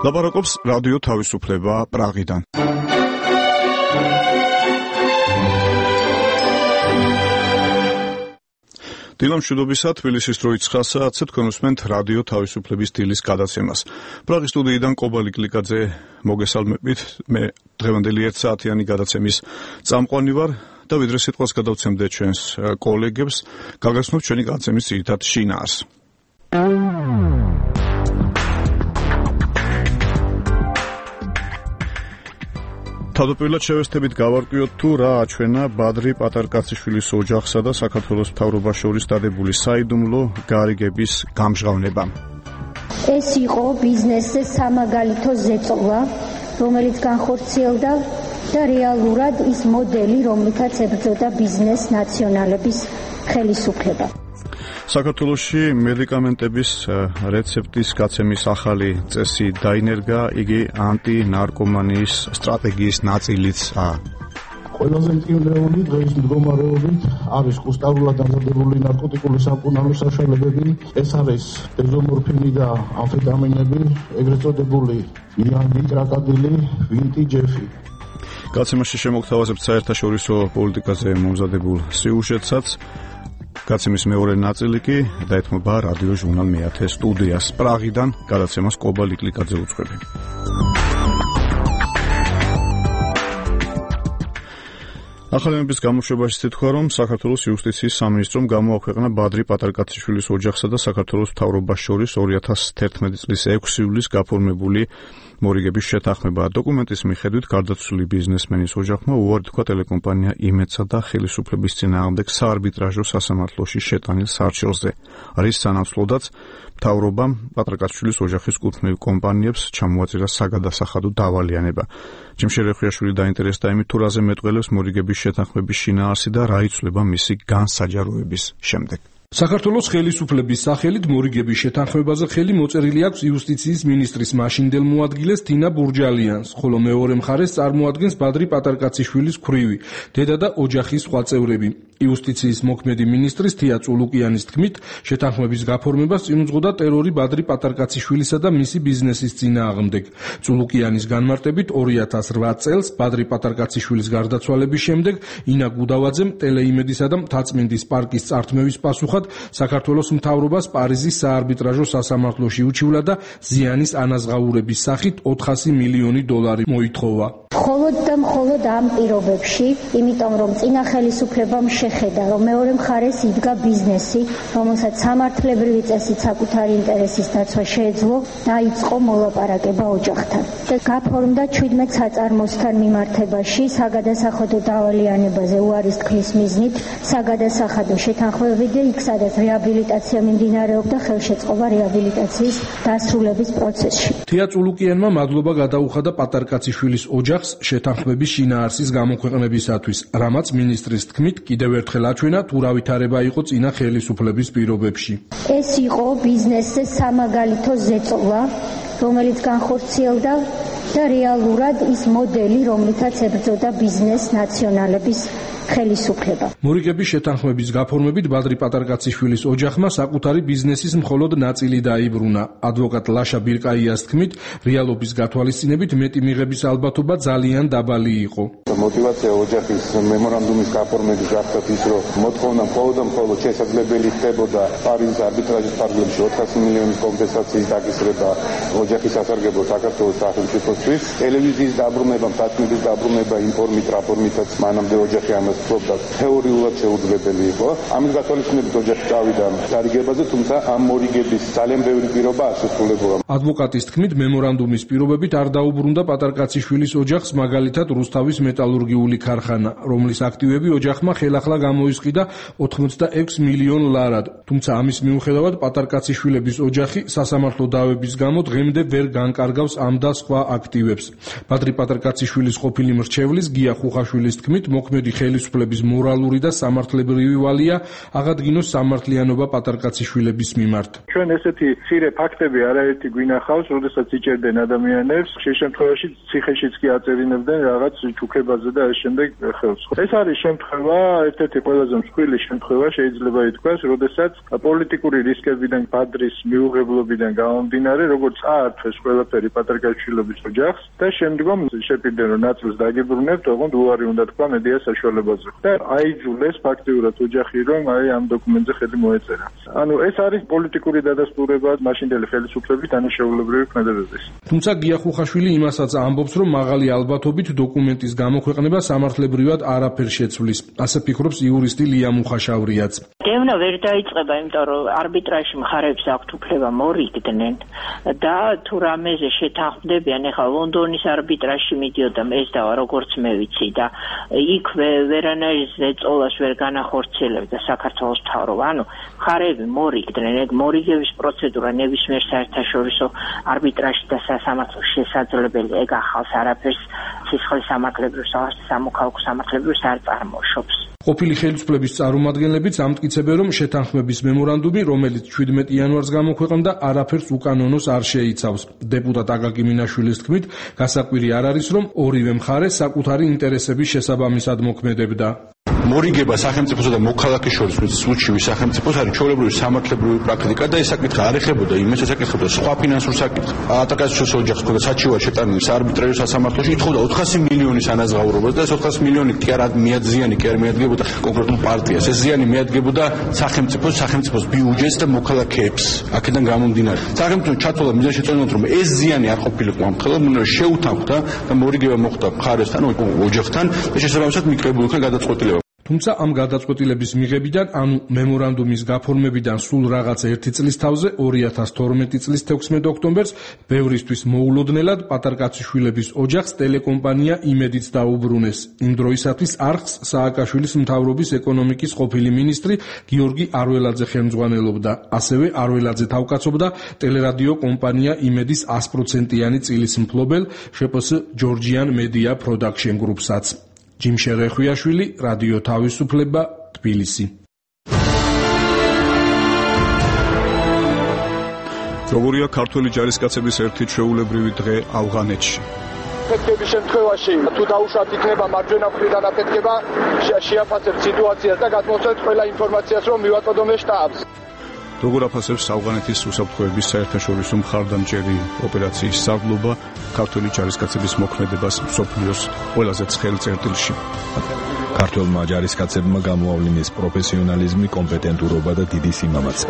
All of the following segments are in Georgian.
ლაპარაკობს რადიო თავისუფლება პრაღიდან. დილა მშვიდობისა, თბილისის დრო 9 საათზე თქვენ უსმენთ რადიო თავისუფლების დილის გადაცემას. პრაღის სტუდიიდან კობა ლიკლიკაძე მოგესალმებით. მე დღევანდელი 1 საათიანი გადაცემის წამყვანი ვარ და ვიდრე სიტყვას გადავცემდე ჩვენს კოლეგებს, გაგაცნობთ ჩვენი გადაცემის ძირითად შინაარს. თავდაპირველად შევესწრებით გავარკვიოთ თუ რა აჩვენა ბადრი პატარკაციშვილის ოჯახსა და საქართველოს მთავრობას შორის დადებული საიდუმლო გარიგების გამჟღავნება. ეს იყო ბიზნესზე სამაგალითო ზეწოლა, რომელიც განხორციელდა და რეალურად ის მოდელი, რომლითაც ებრძოდა ბიზნეს ნაციონალების ხელისუფლება. საქართველოში მედიკამენტების რეცეპტის გაცემის ახალი წესი დაინერგა, იგი ანტინარკომანიის სტრატეგიის ნაწილიცაა. ყველაზე მტკივნეული დღეს მდგომარეობით არის კუსტარულად დამზადებული ნარკოტიკული სამკურნალო საშუალებები. ეს არის დეზომორფინი და ამფეტამინები, ეგრეთ წოდებული იანგი, კრაკადილი, ვინტი, ჯეფი. გაცემაში შემოგთავაზებთ საერთაშორისო პოლიტიკაზე მომზადებულ სიუჟეტსაც. გაცემის მეორე ნაწილი კი დაეთმობა რადიო ჟურნალ მეათე სტუდიას. პრაღიდან გადაცემას კობა ლიკლიკაძე უძღვები. ახალების გამოშვებაში ცითქვა, რომ საქართველოს იუსტიციის სამინისტრომ გამოაქვეყნა ბადრი პატარკაციშვილის ოჯახსა და საქართველოს მთავრობას შორის 2011 წლის 6 ივლისს გაფორმებული მორიგების შეთანხმება. დოკუმენტის მიხედვით გარდაცვლილი ბიზნესმენის ოჯახმა უარი თქვა ტელეკომპანია იმედსა და ხელისუფლების წინააღმდეგ საარბიტრაჟო სასამართლოში შეტანილ სარჩელზე. რის სანაცვლოდაც მთავრობამ პატარკაციშვილის ოჯახის კუთვნილ კომპანიებს ჩამოაწერა საგადასახადო დავალიანება. ჯიმშე რეხვიაშვილი დაინტერესდა იმით, თუ რაზე მეტყველებს მორიგების შეთანხმების შინაარსი და რა იცვლება მისი განსაჯაროების შემდეგ. საქართველოს ხელისუფლების სახელით მორიგების შეთანხმებაზე ხელი მოწერილი აქვს იუსტიციის მინისტრის მაშინდელ მოადგილეს თინა ბურჯალიანს, ხოლო მეორე მხარეს წარმოადგენს ბადრი პატარკაციშვილის ქვრივი, დედა და ოჯახის სხვა წევრები. იუსტიციის მოქმედი მინისტრის თია წულუკიანის თქმით, შეთანხმების გაფორმებას წინ უძღოდა ტერორი ბადრი პატარკაციშვილისა და მისი ბიზნესის წინააღმდეგ. წულუკიანის განმარტებით 2008 წელს ბადრი პატარკაციშვილის გარდაცვალების შემდეგ ინა გუდავაძემ ტელეიმედისა და მთაწმინდის პარკის წართმევის პასუხად საქართველოს მთავრობას პარიზის საარბიტრაჟო სასამართლოში უჩივლა და ზიანის ანაზღაურების სახით 400 მილიონი დოლარი მოითხოვა. მხოლოდ ამ პირობებში, იმიტომ რომ წინა ხელისუფლებამ შეხედა, რომ მეორე მხარეს იდგა ბიზნესი, რომელსაც სამართლებრივი წესით საკუთარი ინტერესის დაცვა შეეძლო, დაიწყო მოლაპარაკება ოჯახთან. და გაფორმდა 17 საწარმოსთან მიმართებაში საგადასახადო დავალიანებაზე უარის თქმის მიზნით საგადასახადო შეთანხმებები და იქ სადაც რეაბილიტაცია მიმდინარეობდა, ხელშეწყობა რეაბილიტაციის დასრულების პროცესში. თია წულუკიანმა მადლობა გადაუხადა პატარკაციშვილის ოჯახს შეთანხმების შინაარსის გამოქვეყნებისათვის, რამაც მინისტრის თქმით კიდევ ერთხელ აჩვენა თუ რა ვითარება იყო წინა ხელისუფლების პირობებში. ეს იყო ბიზნესზე სამაგალითო ზეწოლა, რომელიც განხორციელდა და რეალურად ის მოდელი, რომლითაც ებრძოდა ბიზნეს ნაციონალების ხელისუფლება. მორიგების შეთანხმების გაფორმებით ბადრი პატარკაციშვილის ოჯახმა საკუთარი ბიზნესის მხოლოდ ნაწილი დაიბრუნა. ადვოკატ ლაშა ბირკაიას თქმით, რეალობის გათვალისწინებით მეტი მიღების ალბათობა ძალიან დაბალი იყო. მოტივაცია ოჯახის მემორანდუმის გაფორმების გახდათ ის, რომ მოთხოვნა მხოლოდ შესაძლებელი ხდებოდა პარიზის არბიტრაჟის ფარგლებში 400 მილიონის კომპენსაციის დაკისრება ოჯახის სასარგებლო საქართველოს სახელმწიფოსთვის. ტელევიზიის დაბრუნება, მთაწმინდის დაბრუნება იმ ფორმით, რა ფორმითაც მანამდე ოჯახი ამას ფლობდა, თეორიულად შეუძლებელი იყო. ამის გათვალისწინებით ოჯახი წავიდა დარიგებაზე, თუმცა ამ მორიგების ძალიან ბევრი პირობა არ შესრულებულა. ადვოკატის თქმით, მემორანდუმის პირობებით არ დაუბრუნდა პატარკაციშვილის ოჯახს, მაგალითად რუსთავის მეტალურგიული ქარხანა, რომლის აქტივები ოჯახმა ხელახლა გამოისყიდა 86 მილიონ ლარად. თუმცა ამის მიუხედავად პატარკაციშვილების ოჯახი სასამართლო დავების გამო დღემდე ვერ განკარგავს ამ და სხვა აქტივებს. ბადრი პატარკაციშვილის ყოფილი მრჩევლის გია ხუხაშვილის თქმით, მოქმედი ხელისუფლების მორალური და სამართლებრივი ვალია აღადგინოს სამართლიანობა პატარკაციშვილების მიმართ. ჩვენ ესეთი მცირე ფაქტები არაერთი გვინახავს, როდესაც იჭერდნენ ადამიანებს, ხშირ შემთხვევაში ციხეშიც კი აწერინებდნენ რაღაც ჩუქებაზე და ეს შემდეგ ხელს. ეს არის შემთხვევა, ერთ-ერთი ყველაზე მსხვილი შემთხვევა შეიძლება ითქვას, როდესაც პოლიტიკური რისკებიდან, ბადრის მიუღებლობიდან გამომდინარე, როგორც აართვეს ყველაფერი პატარკაშვილების ოჯახს და შემდგომ შეპირდნენ, რომ ნაწილს დაგიბრუნებთ, ოღონდ უარი უნდა თქვა მედია საშუალებაზე. და აიძულეს ფაქტიურად ოჯახი, რომ ამ დოკუმენტზე ხელი მოეწერა. ანუ ეს არის პოლიტიკური დადასტურება მაშინდელი ხელისუფლების დანიშნულებრივი ქმედებების. თუმცა გია ხუხაშვილი იმასაც ამბობს, რომ მაღალი ალბათობით დოკუმენტის გამოქვეყნება სამართლებრივად არაფერ შეცვლის. ასე ფიქრობს იურისტი ლია მუხაშავრიაც. დევნა ვერ დაიწყება, იმიტომ რომ არბიტრაჟში მხარეებს აქვთ უფლება მორიგდნენ და თუ რამეზე შეთანხმდებიან, ეხლა ლონდონის არბიტრაჟში მიდიოდა ეს და როგორც მე ვიცი და იქ ვერანაირ ზეწოლას ვერ განახორციელებდა საქართველოს მთავრობა. ანუ მხარეები მორიგდნენ, ეგ მორიგების პროცედურა ნებისმიერ საერთაშორისო არბიტრაჟში და სასამართლოში შესაძლებელი, ეგ ახალს არაფერს სისხლის სამართლებრივ სამოქალაქო სამართლებრივ არ წარმოშობს. ყოფილი ხელისუფლების წარმომადგენლებიც ამტკიცებენ, რომ შეთანხმების მემორანდუმი, რომელიც 17 იანვარს გამოქვეყნდა, არაფერს უკანონოს არ შეიცავს. დეპუტატ აკაკი მინაშვილის თქმით, გასაკვირი არ არის, რომ ორივე მხარე საკუთარი ინტერესების შესაბამისად მოქმედებდა. მორიგება სახელმწიფოსა და მოქალაქის შორის სულჩივი სახელმწიფოს არის ჩვეულებრივი სამართლებრივი პრაქტიკა და ეს საკითხი არ ეხებოდა იმას, ეკითხებოდა სხვა ფინანსურ საკითხს. პატარკაციშვილის ოჯახს ქონდა საჩივარ შეტანილი საარბიტრაჟო სასამართლოში, ითხოვდა 400 მილიონის ანაზღაურებას და ეს 400 მილიონი კი არ ზიანი კი არ მიადგებოდა კონკრეტულ პარტიას. ეს ზიანი მიადგებოდა სახელმწიფოს ბიუჯეტს და მოქალაქეებს. აქედან გამომდინარე, სახელმწიფო ჩათვალა მიზანშეწონილად, რომ ეს ზიანი არ ყოფილიყო ამ ხელოვნებას შეუთანხმდა და მორიგება მოხდა მხარესთან, ოჯახთან და შესაბამისად მიკრებულ იქნა გადაწყვეტილება. თუმცა ამ გადაწყვეტილების მიღებიდან, ანუ მემორანდუმის გაფორმებიდან სულ რაღაც 1 წლის თავზე 2012 წლის 16 ოქტომბერს ბევრისთვის მოულოდნელად პატარკაციშვილების ოჯახს ტელეკომპანია იმედიც დაუბრუნეს. იმ დროისათვის არხს სააკაშვილის მთავრობის ეკონომიკის ყოფილი მინისტრი გიორგი არველაძე ხელმძღვანელობდა. ასევე არველაძე თავკაცობდა ტელერადიო კომპანია იმედის 100%-იანი წილის მფლობელ შპს ჯორჯიან მედია პროდაქშენ გრუპსაც. ჯიმ შერეხვიაშვილი, რადიო თავისუფლება, თბილისი. როგორია ქართველი ჯარისკაცების ერთი ჩვეულებრივი დღე ავღანეთში? აფეთქების შემთხვევაში თუ დაუშვათ იქნება მარჯვენა მხრიდან აფეთქება, შეაფასებთ სიტუაციას და გადმოსცემთ ყველა ინფორმაციას, რომ მივაწოდოთ შტაბს. როგორ აფასებს ავღანეთის უსაფრთხოების საერთაშორისო მხარდამჭერი ოპერაციის სარდლობა ქართველი ჯარისკაცების მოქმედებას მსოფლიოს ყველაზე ცხელ წერტილში? ქართველმა ჯარისკაცებმა გამოავლინეს პროფესიონალიზმი, კომპეტენტურობა და დიდი სიმამაცე.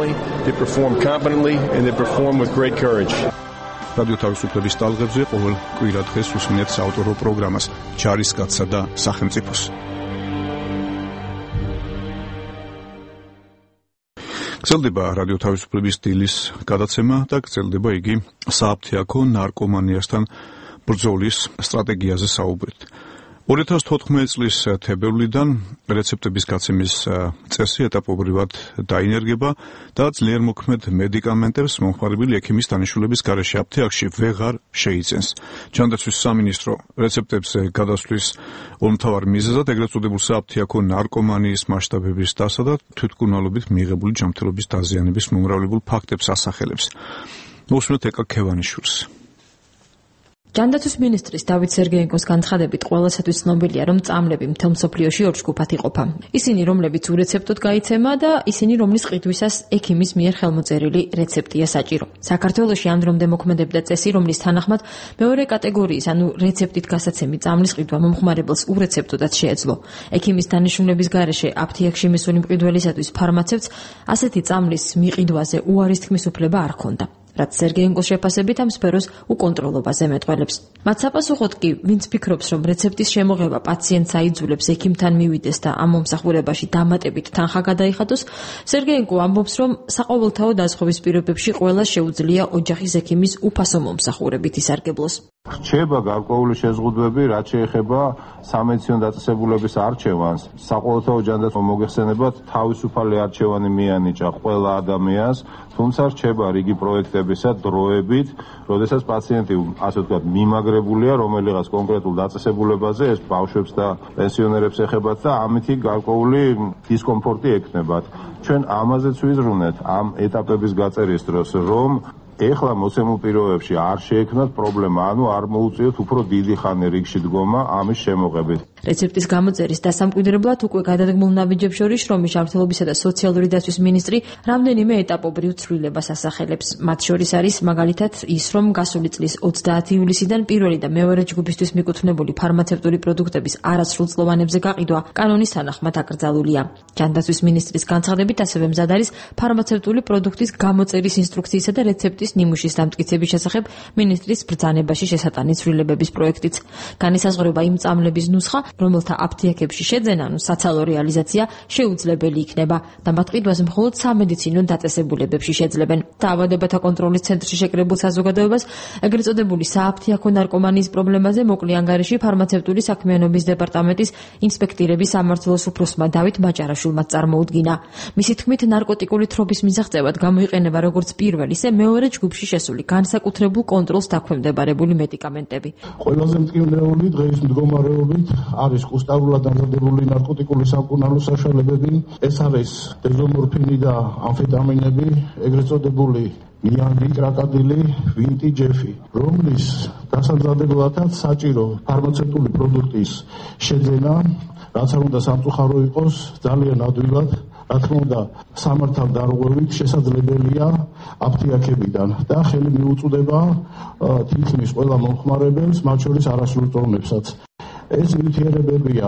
რადიო თავისუფლების ტალღებზე ყოველ კვირა დღეს უსმენთ საავტორო პროგრამას ჯარისკაცსა და სახელმწიფოს. გრძელდება რადიო თავისუფლების დილის გადაცემა და გრძელდება იგი სააფთიაქო ნარკომანიასთან ბრძოლის სტრატეგიაზე საუბრით. 2014 წლის თებერვლიდან რეცეპტების გაცემის წესი ეტაპობრივად დაინერგება და ძლიერ მოქმედ მედიკამენტებს მომხმარებელი ექიმის დანიშნულების გარეშე აფთიაქში ვეღარ შეიძენს. ჯანდაცვის სამინისტრო რეცეპტებს გადასვლის ორმთავარ მიზეზად ეგრეთ წოდებულ სააფთიაქო ნარკომანიის მასშტაბების დასა და თვითმკურნალობით მიღებული ჯანმრთელობის დაზიანების მომრავლებულ ფაქტებს ასახელებს. მოსმენთ ეკა ქევანიშვილს. ჯანდაცვის მინისტრის დავით სერგეენკოს განცხადებით ყველასათვის ცნობილია, რომ წამლები მთელ მსოფლიოში ორ ჯგუფად იყოფა. ისინი, რომლებიც ურეცეპტოდ გაიცემა და ისინი, რომლის ყიდვისას ექიმის მიერ ხელმოწერილი რეცეპტია საჭირო. საქართველოში ამ დრომდე მოქმედებდა წესი, რომლის თანახმად მეორე კატეგორიის, ანუ რეცეპტით გასაცემი წამლის ყიდვა მომხმარებელს ურეცეპტოდაც შეეძლო. ექიმის დანიშნულების გარეშე აფთიაქში მისული მყიდველისათვის ფარმაცევტს ასეთი წამლის მიყიდვაზე უარის თქმის უფლება არ ჰქონდა. რაც სერგეენკოს შეფასებით ამ სფეროს უკონტროლობაზე მეტყველებს. მათ საპასუხოდ კი, ვინც ფიქრობს, რომ რეცეპტის შემოღება პაციენტს აიძულებს ექიმთან მივიდეს და ამ მომსახურებაში დამატებით თანხა გადაიხადოს, სერგეენკო ამბობს, რომ საყოველთაო დაზღვევის პირობებში ყველას შეუძლია ოჯახის ექიმის უფასო მომსახურებით ისარგებლოს. რჩება გარკვეული შეზღუდვები, რაც შეეხება სამედიცინო დაწესებულების არჩევანს. საყოველთაო ჯანდაცვა მოგეხსენებათ, თავისუფალი არჩევანი მიანიჭა ყველა ადამიანს, თუმცა რჩება რიგი პროექტებისა დროებით, როდესაც პაციენტი, ასე ვთქვათ, მიმაგრებულია რომელიღაც კონკრეტულ დაწესებულებაზე, ეს ბავშვებს და პენსიონერებს ეხებათ და ამითი გარკვეული დისკომფორტი ექნებათ. ჩვენ ამაზეც ვიზრუნეთ ამ ეტაპების გაწერის დროს, რომ ეხლა მოცემულ პირობებში არ შეექმნათ პრობლემა, ანუ არ მოუწიოთ უფრო დიდი ხანი რიგში დგომა ამის შემოღებით. რეცეპტის გამოწერის დასამკვიდრებლად უკვე გადადგმულ ნაბიჯებს შორის შრომის ჯანმრთელობისა და სოციალური დაცვის მინისტრი რამდენიმე ეტაპობრივ ცვლილებას ასახელებს. მათ შორის არის მაგალითად ის, რომ გასული წლის 30 ივლისიდან პირველი და მეორე ჯგუფისთვის მიკუთვნებული ფარმაცევტული პროდუქტების არასრულწლოვანებზე გაყიდვა კანონის თანახმად აკრძალულია. ჯანდაცვის მინისტრის განცხადებით ასევე მზად არის ფარმაცევტული პროდუქტის გამოწერის ინსტრუქციისა და რეცეპტის ნიმუშის დამტკიცების შესახებ მინისტრის ბრძანებაში შესატანი ცვლილებების პროექტიც. განისაზღვრება იმ წამლების ნუსხა, რომელთა აფთიაქებში შეძენა, ანუ საცალო რეალიზაცია შეუძლებელი იქნება და მათ ყიდვას მხოლოდ სამედიცინო დაწესებულებებში შეძლებენ. დაავადებათა კონტროლის ცენტრში შეკრებულ საზოგადოებას ეგრეთ წოდებული სააფთიაქო ნარკომანიის პრობლემაზე მოკლე ანგარიში ფარმაცევტული საქმიანობის დეპარტამენტის ინსპექტირების სამმართველოს უფროსმა დავით მაჭარაშვილმა წარმოუდგინა. მისი თქმით, ნარკოტიკული თრობის მისაღწევად გამოიყენება როგორც პირველ, ისე მეორე ჯგუფში შესული განსაკუთრებულ კონტროლს დაქვემდებარებული მედიკამენტები. ყველაზე მტკივნეული დღეის მდგომარეობით არის კუსტარულად დამზადებული ნარკოტიკული სამკურნალო საშუალებები, ეს არის დეზომორფინი და ამფეტამინები, ეგრეთ წოდებული იანგი, კრაკადილი, ვინტი, ჯეფი, რომლის დასამზადებელადაც საჭირო ფარმაცევტული პროდუქტის შეძენა, რაც არ უნდა სამწუხარო იყოს, ძალიან ადვილად, რა თქმა უნდა, სამართალ დარღვევით შესაძლებელია აფთიაქებიდან და ხელი მიუწვდება თითქმის ყველა მომხმარებელს, მათ შორის არასრულწლოვანებსაც. ეს ნივთიერებებია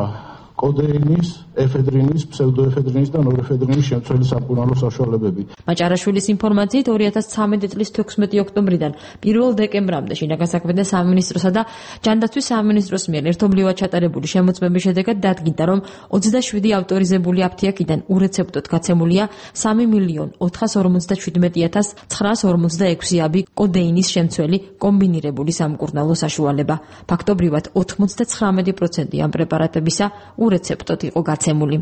კოდეინის, ეფედრინის, ფსევდოეფედრინის და ნორეფედრინის შემცველი სამკურნალო საშუალებები. მაჭარაშვილის ინფორმაციით 2013 წლის 16 ოქტომბრიდან 1 დეკემბრამდე შინაგან საქმეთა სამინისტროსა და ჯანდაცვის სამინისტროს მიერ ერთობლივად ჩატარებული შემოწმების შედეგად დადგინდა, რომ 27 ავტორიზებული აფთიაქიდან ურეცეპტოდ გაცემულია 3.457.946 აბი კოდეინის შემცველი კომბინირებული სამკურნალო საშუალება. ფაქტობრივად 99% ამ პრეპარატებისა ურეცეპტოდ იყო გაცემული.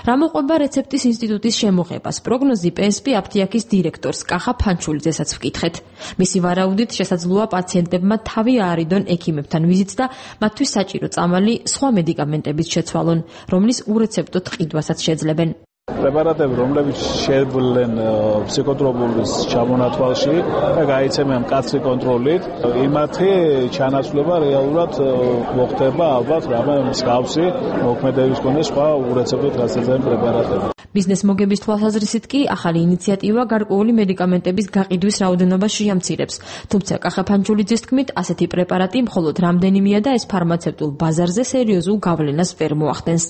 რა მოყვება რეცეპტის ინსტიტუტის შემოღებას? პროგნოზი PSP აფთიაქის დირექტორს კახა ფანჩულიძესაც ვკითხეთ. მისი ვარაუდით შესაძლოა პაციენტებმა თავი აარიდონ ექიმებთან ვიზიტს და მათთვის საჭირო წამალი სხვა მედიკამენტებით შეცვალონ, რომლის ურეცეპტოდ ყიდვასაც შეძლებენ. პრეპარატები, რომლებიც შეძლენ ფსიქოტროპულის ჩამონათვალში და გაიცემენ მკაცრი კონტროლით, იმათი ჩანაცვლება რეალურად მოხდება ალბათ რამე მსგავსი მოქმედების კონდეს სხვა ურეცეპტოდ გასაძენ პრეპარატები. ბიზნეს მოგების თვალსაზრისით კი ახალი ინიციატივა გარკვეული მედიკამენტების გაყიდვის რაოდენობას შეამცირებს. თუმცა კახა ფანჩულიძის თქმით, ასეთი პრეპარატი მხოლოდ რამდენიმეა და ეს ფარმაცევტულ ბაზარზე სერიოზულ გავლენას ვერ მოახდენს.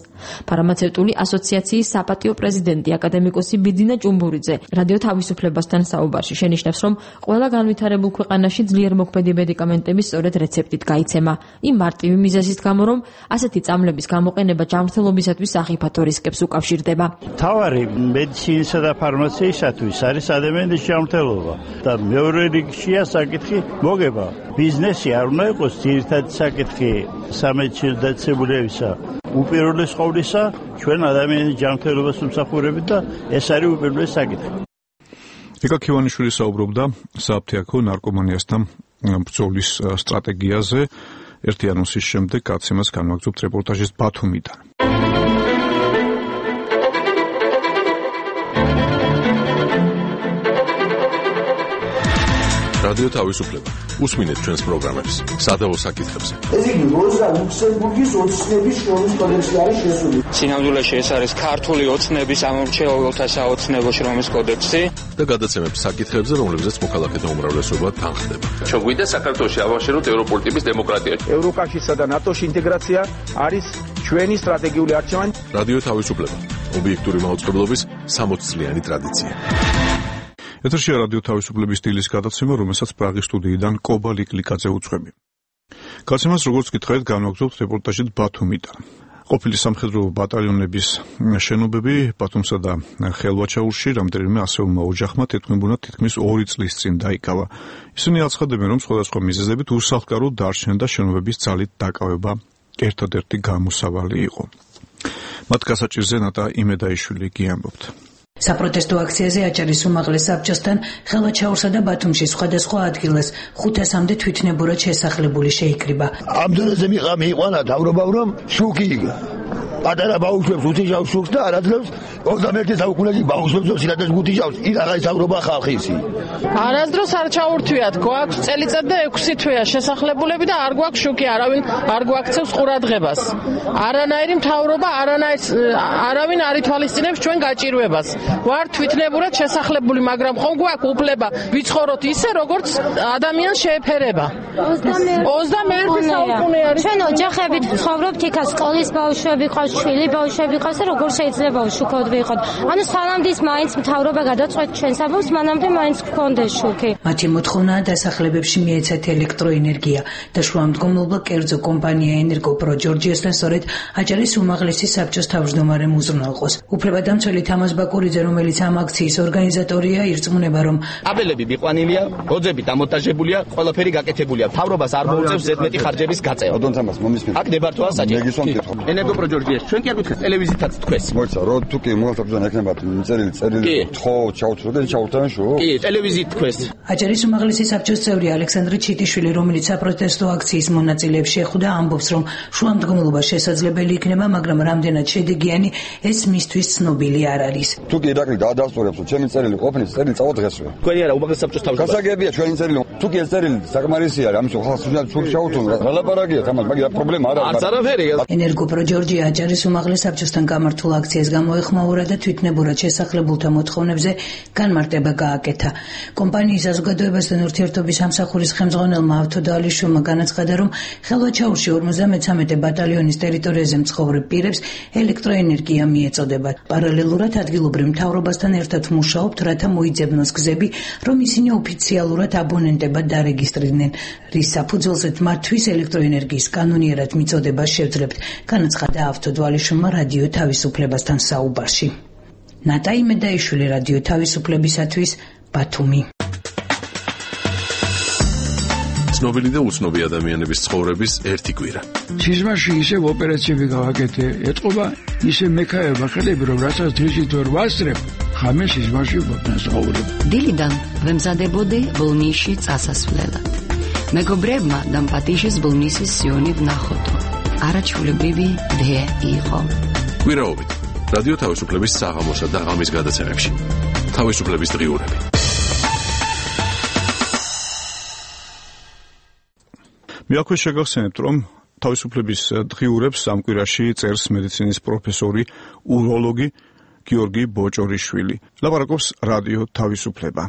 ფარმაცევტული ასოციაციის საპატიო პრეზიდენტი აკადემიკოსი ბიძინა ჭუმბურიძე რადიო თავისუფლებასთან საუბარში შენიშნავს, რომ ყველა განვითარებულ ქვეყანაში ძლიერ მოქმედი მედიკამენტები სწორედ რეცეპტით გაიცემა. იმ მარტივი მიზეზის გამო, რომ ასეთი წამლების გამოყენება ჯანმრთელობისათვის სახიფათო რისკებს უკავშირდება. თავარი მედიცინისა და ფარმაციისათვის არის ადამიანის ჯანმრთელობა და მეორე რიგშია საკითხი მოგება. ბიზნესი არ უნდა იყოს ძირითადი საკითხი სამედიცინო დაწესებულებისა. უპირველეს ყოვლისა ჩვენ ადამიანის ჯანმრთელობას ვმსახურებით და ეს არის უპირველეს საკითხი. ეკა ქივანიშვილი საუბრობდა სააფთიაქო ნარკომანიასთან ბრძოლის სტრატეგიაზე. ერთი ანონსის შემდეგ გაცემას განვაგრძობთ რეპორტაჟის ბათუმიდან. რადიო თავისუფლება. უსმინეთ ჩვენს პროგრამებს, სადავო საკითხებზე. ეს იგი როზა ლუქსემბურგის ოცნების შრომის კოდექსი არის შესული. სინამდვილეში ეს არის ქართული ოცნების ამორჩეულთა საოცნებო შრომის კოდექსი და გადაცემებს საკითხებზე, რომლებზეც მოქალაქეთა უმრავლესობა თანხდება. ჩვენ გვინდა საქართველოში ავაშენოთ ევროპული ტიპის დემოკრატია. ევროკავშირსა და ნატოში ინტეგრაცია არის ჩვენი სტრატეგიული არჩევანი. რადიო თავისუფლება. ობიექტური მაუწყებლობის 60 წლიანი ტრადიცია. ეთერშია რადიო თავისუფლების სტილის გადაცემა, რომელსაც პრაღის სტუდიიდან კობა ლიკლიკაძე უძღვები. გაცემას როგორც გითხარით, განვაგრძობთ რეპორტაჟით ბათუმიდან. ყოფილი სამხედრო ბატალიონების შენობები ბათუმსა და ხელვაჩაურში რამდენიმე ასეულმა ოჯახმა თეთქმებურად თითქმის 2 წლის წინ დაიკავა. ისინი აცხადებენ, რომ სხვადასხვა მიზეზებით უსახლკაროდ დარჩნენ და შენობების ძალით დაკავება ერთადერთი გამოსავალი იყო. მათ გასაჭირზე ნატა იმედაიშვილი გიამბობთ. საპროტესტო აქციაზე აჭარის უმაღლეს საბჭოსთან ხელვაჩაურსა და ბათუმში სხვადასხვა ადგილას 500-მდე თვითნებურად შესახლებული შეიკრიბა. ამ დონეზე მიიყვანა თავრობა, რომ შუქი პატარა ბაუშებს უთიშავს შუქს და არაძლევს 21 საუკუნეში ბაუშებს სინათეს უთიშავს. ის აღარ თავრობა ხალხი ისი. არასდროს არ ჩაურთვიათ, გვაქვს წელიწად და 6 თვეა შესახლებულები და არ გვაქვს შუქი, არ გვაქცევს ყურადღებას. არანაირი მთავრობა, არავინ არ ითვალისწინებს ჩვენ გაჭირვებას. ვარ თვითნებურად შესახლებული, მაგრამ ხომ გვაქვს უფლება ვიცხოვროთ ისე, როგორც ადამიანს შეეფერება. 21 საუკუნე არის. ჩვენ ოჯახებით ცხოვრობთ იქა, სკოლის ბავშვები ყავს, შვილი ბავშვები ყავს და როგორ შეიძლება უშუქოდ ვიყოთ. ანუ სანამდეც მაინც მთავრობა გადაწყვეტ ჩვენს ამბავს, მანამდე მაინც გქონდეს შუქი. მათი მოთხოვნაა დასახლებებში მიეცათ ელექტროენერგია და შუამდგომლობა კერძო კომპანია ენერგოპრო ჯორჯიასთან სწორედ აჭარის უმაღლესი საბჭოს თავმჯდომარემ უზრუნველყოს. უფლებადამცველი თამაზ ბაკურიძე, რომელიც ამ აქციის ორგანიზატორია, ირწმუნება, რომ აბელები მიყვანილია, ოძები დამონტაჟებულია, ყველაფერი გაკეთებულია. მთავრობას არ მოუწევს ზედმეტი ხარჯების გაწევა. აქ დებართვაა საჭირო. ენერგოპრო ჯორჯიას ჩვენ კი არ გითხეს ტელევიზიითაც თქვეს. მოიცა, რო თუ კი მოახერხებიან ექნებათ წერილი თხო ჩაუთრო და ჩაუთრან შო. კი, ტელევიზიით თქვეს. აჭარის უმაღლესი საბჭოს წევრი ალექსანდრე ჩიტიშვილი, რომელიც საპროტესტო აქციის მონაწილეებს შეხვდა, ამბობს, რომ შუამდგომლობა შესაძლებელი იქნება, მაგრამ რამდენად შედეგიანი ეს მისთვის ცნობილი არ არის. თუ კი ირაკლი დაადასტურებს, რომ ჩემი წერილი ყოფნის წერილი წავდღესვე. თქვენი არა, უმაღლესი საბჭოს თავმჯდომარე. გასაგებია ჩვენი წერილი. თუ კი ეს წერილი საკმარისი არის, ამის ხალხს შუქი ჩაუთრონ, რა ლაპარაკია, თამარ, მაგრამ პრობლემა არ არის. არც არაფერი. ენერგოპრო ჯორჯია აჭარის უმაღლეს საბჭოსთან გამართულ აქციას გამოეხმაურა და თვითნებურად შესახლებულთა მოთხოვნებზე განმარტება გააკეთა. კომპანიის საზოგადოებასთან ურთიერთობის სამსახურის ხელმძღვანელმა ავთოდალიშვილმა განაცხადა, რომ ხელვაჩაურში 53 ბატალიონის ტერიტორიაზე მცხოვრებ პირებს ელექტროენერგია მიეწოდებათ. პარალელურად ადგილობრივ მთავრობასთან ერთად მუშაობთ, რათა მოიძებნოს გზები, რომ ისინი ოფიციალურად აბონენტებად დარეგისტრირდნენ, რის საფუძველზეც მათთვის ელექტროენერგიის კანონიერად მიწოდებას შევძლებთ, განაცხადა ავთოდვალიშვილმა რადიო თავისუფლებასთან საუბარში. ნატა იმედაიშვილი, რადიო თავისუფლებისათვის, ბათუმი. ცნობილი და უცნობი ადამიანების ცხოვრების ერთი კვირა. სიზმარში ისევ ოპერაციები გავაკეთე, ეთყობა ისე მექაება ხელები, რომ რასაც დღისით ვერ ვასწრებ, ხამე სიზმარში ვფასაუბრებ. დილიდან ვემზადებოდი ბოლნისში წასასვლელად. მეგობრებმა და პატიჟის ბოლნისის სიონი ვნახოდო. არაჩვეულებრივი დე იყო. კვირაობით რადიო თავისუფლების საღამოსა და ღამის გადაცემებში. თავისუფლების დღიურები. მე აქვე შეგახსენებთ, რომ თავისუფლების დღიურებს ამ კვირაში წერს მედიცინის პროფესორი, უროლოგი გიორგი ბოჭორიშვილი. ლაპარაკობს რადიო თავისუფლება.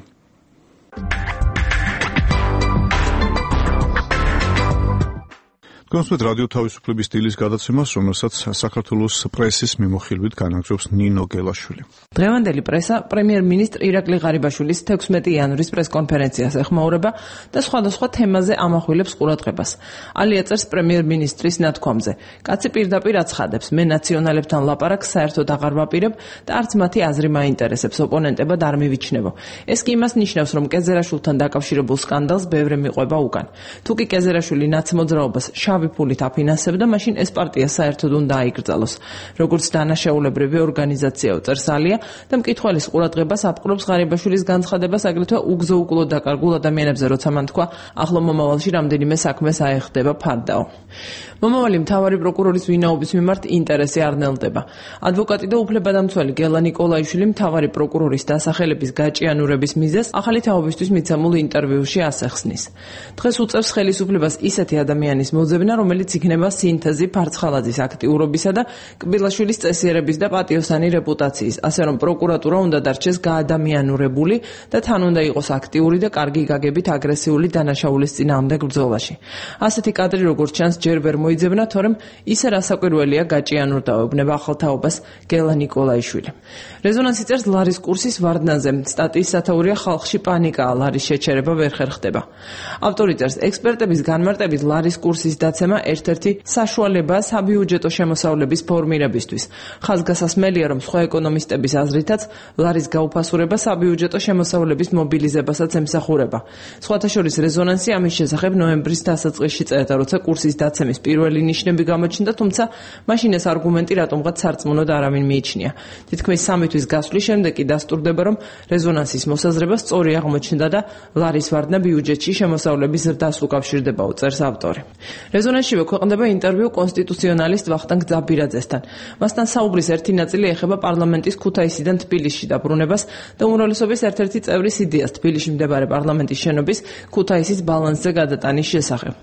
კონსულტ რადიო თავისუფლების დილის გადაცემას, რომელსაც საქართველოს პრესის მიმოხილვით განაგრძობს ნინო გელაშვილი. დღევანდელი პრესა პრემიერ-მინისტრ ირაკლი ღარიბაშვილის 16 იანვრის პრესკონფერენციას ეხმაურება და სხვადასხვა თემაზე ამახვილებს ყურადღებას. ალია წერს პრემიერ-მინისტრის ნათქვამზე. კაცი პირდაპირ აცხადებს, მე ნაციონალებთან ლაპარაკს საერთოდ აღარ ვაპირებ და არც მათი აზრი მაინტერესებს, ოპონენტებად არ მივიჩნევო. ეს კი იმას ნიშნავს, რომ კეზერაშვილთან დაკავშირებულ სკანდალს ბევრი მიყვება უკან. თუ კი კეზერაშვილი ნაცმოძრაობას ფულით აფინანსებდა, მაშინ ეს პარტია საერთოდ უნდა აიკრძალოს. როგორც დანაშაულებრივი ორგანიზაციაო წერს ალია და მკითხველის ყურადღებას აპყრობს ღარიბაშვილის განცხადებას, აგრეთვე უგზო-უკლოდ დაკარგულ ადამიანებზე, როცა მან თქვა, ახლო მომავალში რამდენიმე საქმეს აეხდება ფარდაო. მომავალი მთავარი პროკურორის ვინაობის მიმართ ინტერესი არ ნელდება. ადვოკატი და უფლებადამცველი გელა ნიკოლაიშვილი მთავარი პროკურორის დასახელების გაჭიანურების მიზეზს ახალი თაობისთვის მიცემულ ინტერვიუში ასახსნის. დღეს უწევს ხელისუფლებას ისეთი ადამიანის მოძებნა, რომელიც იქნება სინთეზი ფარცხალაძის აქტიურობისა და კბილაშვილის წესიერების და პატიოსანი რეპუტაციის, ასე რომ პროკურატურა უნდა დარჩეს გაადამიანურებული და თან უნდა იყოს აქტიური და კარგი გაგებით აგრესიული დანაშაულის წინააღმდეგ ბრძოლაში. ასეთი კადრი როგორც ჩანს ჯერ ვერ მოიძებნა, თორემ ისე რასაკვირველია გაჭიანურდა ეუბნება ახალთაობას გელა ნიკოლაიშვილი. რეზონანსი წერს ლარის კურსის ვარდნაზე. სტატიის სათაურია ხალხში პანიკაა, ლარის შეჩერება ვერ ხერხდება. ავტორი წერს, ექსპერტების განმარტებით ლარის კურსის გადაცემა ერთ-ერთი საშუალებაა საბიუჯეტო შემოსავლების ფორმირებისთვის. ხაზგასასმელია, რომ სხვა ეკონომისტების აზრითაც ლარის გაუფასურება საბიუჯეტო შემოსავლების მობილიზებასაც ემსახურება. სხვათა შორის რეზონანსი ამის შესახებ ნოემბრის დასაწყისში წერდა, როცა კურსის დაცემის პირველი ნიშნები გამოჩნდა, თუმცა მაშინ ეს არგუმენტი რატომღაც სარწმუნოდ არავინ მიიჩნია. თითქმის 3 თვის გასვლის შემდეგ კი დასტურდება, რომ რეზონანსის მოსაზრება სწორი აღმოჩნდა და ლარის ვარდნა ბიუჯეტში შემოსავლების ზრდას უკავშირდებაო, წერს ავტორი. რეზონანსშივე ქვეყნდება ინტერვიუ კონსტიტუციონალისტ ვახტანგ ძაბირაძესთან. მასთან საუბრის ერთი ნაწილი ეხება პარლამენტის ქუთაისიდან თბილისში დაბრუნებას და უმრავლესობის ერთ-ერთი წევრის იდეას თბილისში მდებარე პარლამენტის შენობის ქუთაისის ბალანსზე გადატანის შესახებ.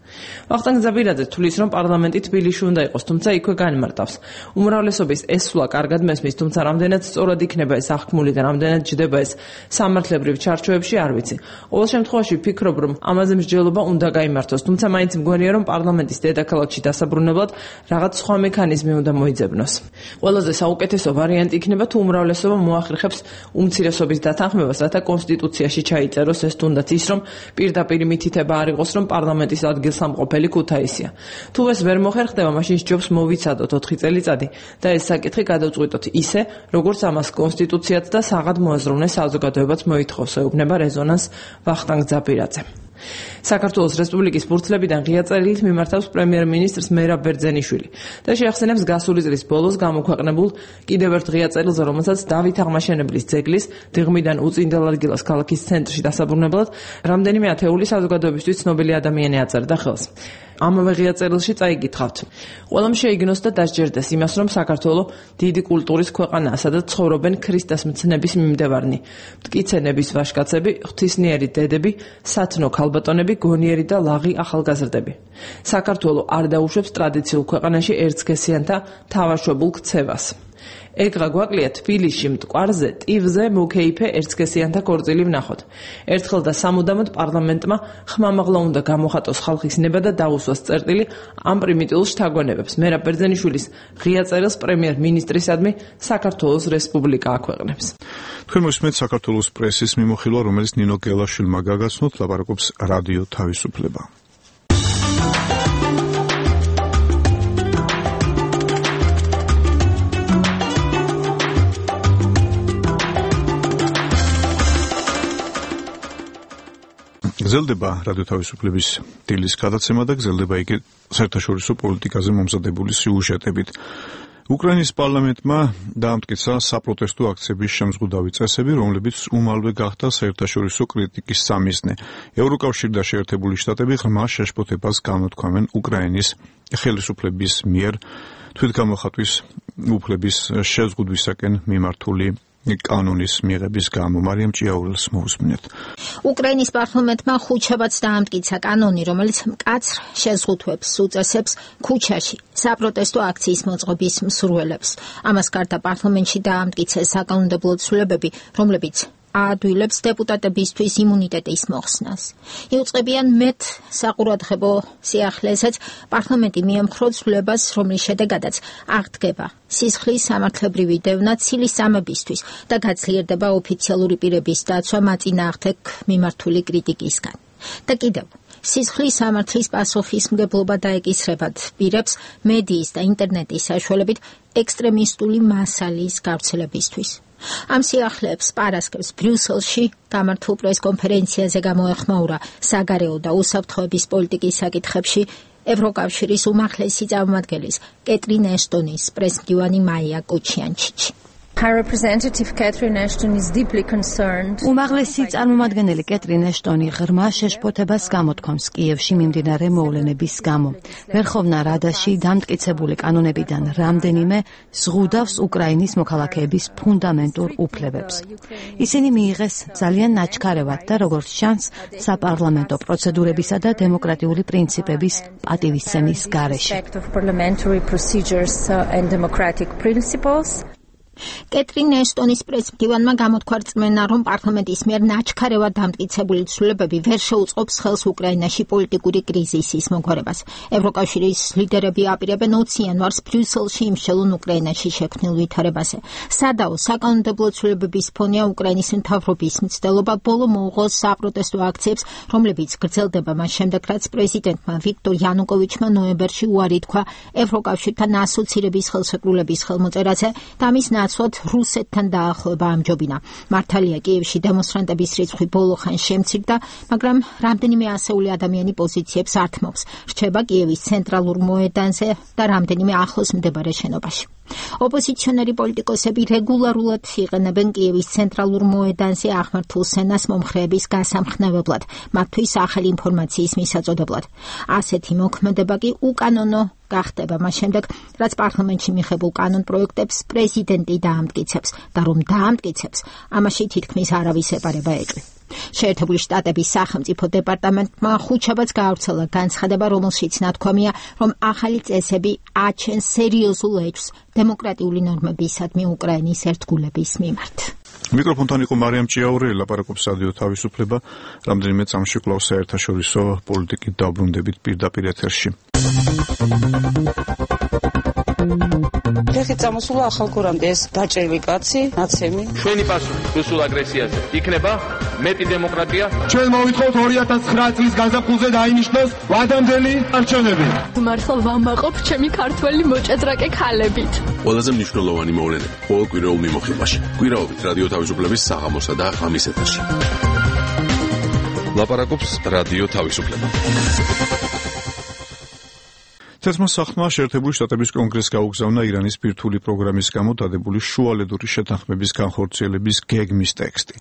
ვახტანგ ძაბირაძე თვლის, რომ პარლამენტი თბილისში უნდა იყოს, თუმცა იქვე განმარტავს. უმრავლესობის ეს სვლა კარგად მესმის, თუმცა რამდენად სწორად იქნება ეს აღქმული და რამდენად ჯდება ეს სამართლებრივ ჩარჩოებში არ ვიცი. ყოველ შემთხვევაში ვფიქრობ, რომ ამაზე მსჯელობა უნდა გაიმართოს, თუმცა მაინც მგონია, რომ პარლამენტის დედაქალაქში დასაბრუნებლად რაღაც სხვა მექანიზმი უნდა მოიძებნოს. ყველაზე საუკეთესო ვარიანტი იქნება, თუ უმრავლესობა მოახერხებს უმცირესობის დათანხმებას, რათა კონსტიტუციაში ჩაიწეროს ეს თუნდაც ის, რომ პირდაპირ მითითება არ იყოს, რომ პარლამენტის ადგილსამყოფელი ქუთაისია. თუ ეს ვერ მოხერხდება, მაშინ სჯობს მოვიცადოთ 4 წელიწადი და ეს საკითხი გადავწყვიტოთ ისე, როგორც ამას კონსტიტუციაც და საღად მოაზროვნე საზოგადოებაც მოითხოვს, ეუბნება რეზონანს ვახტანგ ძაბირაძე. საქართველოს რესპუბლიკის ფურცლებიდან ღია წერილით მიმართავს პრემიერ-მინისტრს მერაბ ბერძენიშვილი და შეახსენებს გასული წლის ბოლოს გამოქვეყნებულ კიდევ ერთ ღია წერილზე, რომელსაც დავით აღმაშენებლის ძეგლის დიღმიდან უწინდელარგილას ქალაქის ცენტრში დასაბრუნებლად რამდენიმე ათეული საზოგადოებისთვის ცნობილი ადამიანი აწერდა ხელს. ამავე ღია წერილში წაიკითხავთ. ყველამ შეიგნოს და დასჯერდეს იმას, რომ საქართველო დიდი კულტურის ქვეყანაა, სადაც ცხოვრობენ ქრისტეს მცნების მიმდევარნი, მტკიცენების ვაჟკაცები, ღვთისმიერი დედები, სათნო ქალბატონები, გონიერი და ლაღი ახალგაზრდები. საქართველო არ დაუშვებს ტრადიციულ ქვეყანაში ერთსქესიანთა თავაშვებულ ქცევას. ეგრა გვაკლია თბილისში მტკვარზე ტივზე მუქეიფე ერთსქესიანთა ქორწილი ვნახოთ. ერთხელ და სამუდამოდ პარლამენტმა ხმამაღლა უნდა გამოხატოს ხალხის ნება და დაუსვას წერტილი ამ პრიმიტიულ შთაგონებებს. მერაბ ბერძენიშვილის ღია წერილს პრემიერ-მინისტრისადმი საქართველოს რესპუბლიკა აქვეყნებს. თქვენ მოსმენთ საქართველოს პრესის მიმოხილვა, რომელიც ნინო გელაშვილმა გაგაცნოთ, ლაპარაკობს რადიო თავისუფლება. გრძელდება რადიო თავისუფლების დილის გადაცემა და გრძელდება იგი საერთაშორისო პოლიტიკაზე მომზადებული სიუჟეტებით. უკრაინის პარლამენტმა დაამტკიცა საპროტესტო აქციების შემზღუდავი წესები, რომლებიც უმალვე გახდა საერთაშორისო კრიტიკის სამიზნე. ევროკავშირი და შეერთებული შტატები ღრმა შეშფოთებას განუთქვამენ უკრაინის ხელისუფლების მიერ თვითგამოხატვის უფლების შეზღუდვისაკენ მიმართული კანონის მიღების გამო. მარიამ ჭიაურელს მოусმინეთ. უკრაინის პარლამენტმა ხუთშაბათს დაამტკიცა კანონი, რომელიც მკაცრ შეზღუდვებს უწესებს ქუჩაში საპროტესტო აქციის მოწყობის მსურველებს. ამას გარდა პარლამენტში დაამტკიცეს საკანონმდებლო ცვლილებები, რომლებიც აადვილებს დეპუტატებისთვის იმუნიტეტის მოხსნას. იუწყებიან მეტ საყურადღებო სიახლესაც პარლამენტი მიემხრა ცვლილებას, რომლის შედეგადაც აღდგება სისხლის სამართლებრივი დევნა ცილის სამებისთვის და გაძლიერდება ოფიციალური პირების დაცვა მაწინააღმდეგ მიმართული კრიტიკისგან. და კიდევ სისხლის სამართლის პასუხისმგებლობა დაეკისრებათ პირებს მედიის და ინტერნეტის საშუალებით ექსტრემისტული მასალის გავრცელებისთვის. ამ სიახლეებს პარასკევს ბრიუსელში გამართულ პრესკონფერენციაზე გამოეხმაურა საგარეო და უსაფრთხოების პოლიტიკის საკითხებში ევროკავშირის უმაღლესი წარმომადგენლის კეტრინ ეშტონის პრესმდივანი მაია კოჩიანჩიჩი. უმაღლესი წარმომადგენელი კეტრინ ეშტონი ღრმა შეშფოთებას გამოთქვამს კიევში მიმდინარე მოვლენების გამო. ვერხოვნა რადაში დამტკიცებული კანონებიდან რამდენიმე ზღუდავს უკრაინის მოქალაქეების ფუნდამენტურ უფლებებს. ისინი მიიღეს ძალიან ნაჩქარევად და როგორც ჩანს, საპარლამენტო პროცედურებისა და დემოკრატიული პრინციპების პატივისცემის გარეშე. კეტრინ ეშტონის პრესმდივანმა გამოთქვა რწმენა, რომ პარლამენტის მიერ ნაჩქარევად დამტკიცებული ცვლილებები ვერ შეუწყობს ხელს უკრაინაში პოლიტიკური კრიზისის მოგვარებას. ევროკავშირის ლიდერები აპირებენ 20 იანვარს ბრიუსელში იმშელონ უკრაინაში შექმნილ ვითარებაზე. სადაო საკანონმდებლო ცვლილებების ფონია უკრაინის მთავრობის მცდელობა ბოლო მოუღოს საპროტესტო აქციებს, რომლებიც გრძელდება მას შემდეგ, რაც პრეზიდენტმა ვიქტორ იანუკოვიჩმა ნოემბერში უარი თქვა ევროკავშირთან ასოცირების ხელშეკრულების ხელმოწერაზე და მის ნაცვლად რუსეთთან დაახლოება ამჯობინა. მართალია, კიევში დემონსტრანტების რიცხვი ბოლო ხანს შემცირდა, მაგრამ რამდენიმე ასეული ადამიანი პოზიციებს ართმობს. რჩება კიევის ცენტრალურ მოედანზე და რამდენიმე ახლოს მდებარე შენობაში. ოპოზიციონერი პოლიტიკოსები რეგულარულად იყენებენ კიევის ცენტრალურ მოედანზე აღმართულ სცენას მომხრეების გასამხნევებლად, მათთვის ახალი ინფორმაციის მისაწოდებლად. ასეთი მოქმედება კი უკანონო გახდება მას შემდეგ, რაც პარლამენტში მიღებულ კანონპროექტებს პრეზიდენტი დაამტკიცებს და რომ დაამტკიცებს, ამაში თითქმის არავის ეპარება ეჭვი. შეერთებული შტატების სახელმწიფო დეპარტამენტმა ხუთშაბათს გაავრცელა განცხადება, რომელშიც ნათქვამია, რომ ახალი წესები აჩენს სერიოზულ ეჭვს დემოკრატიული ნორმებისადმი უკრაინის ერთგულების მიმართ. მიკროფონთან იყო მარიამ ჭიაური, ლაპარაკობს რადიო თავისუფლება, რამდენიმე წამში კვლავ საერთაშორისო პოლიტიკით დავბრუნდებით პირდაპირ ეთერში. ფეხი წამოსულა ახალ გორამდე ეს დაჭრილი კაცი, ნაცემი. ჩვენი პასუხი რუსულ აგრესიაზე იქნება მეტი დემოკრატია. ჩვენ მოვითხოვთ 2009 წლის გაზაფხულზე დაინიშნოს ვადამდელი არჩევნები. მართლა ვამაყობ ჩემი ქართველი მოჭადრაკე ქალებით. ყველაზე მნიშვნელოვანი მოვლენები ყოველ კვირაულ მიმოხილვაში. კვირაობით რადიო თავისუფლების საღამოსა და ღამის ეთერში. ლაპარაკობს რადიო თავისუფლება. თეთრმა სახლმა შეერთებული შტატების კონგრესს გაუგზავნა ირანის ბირთვული პროგრამის გამო დადებული შუალედური შეთანხმების განხორციელების გეგმის ტექსტი.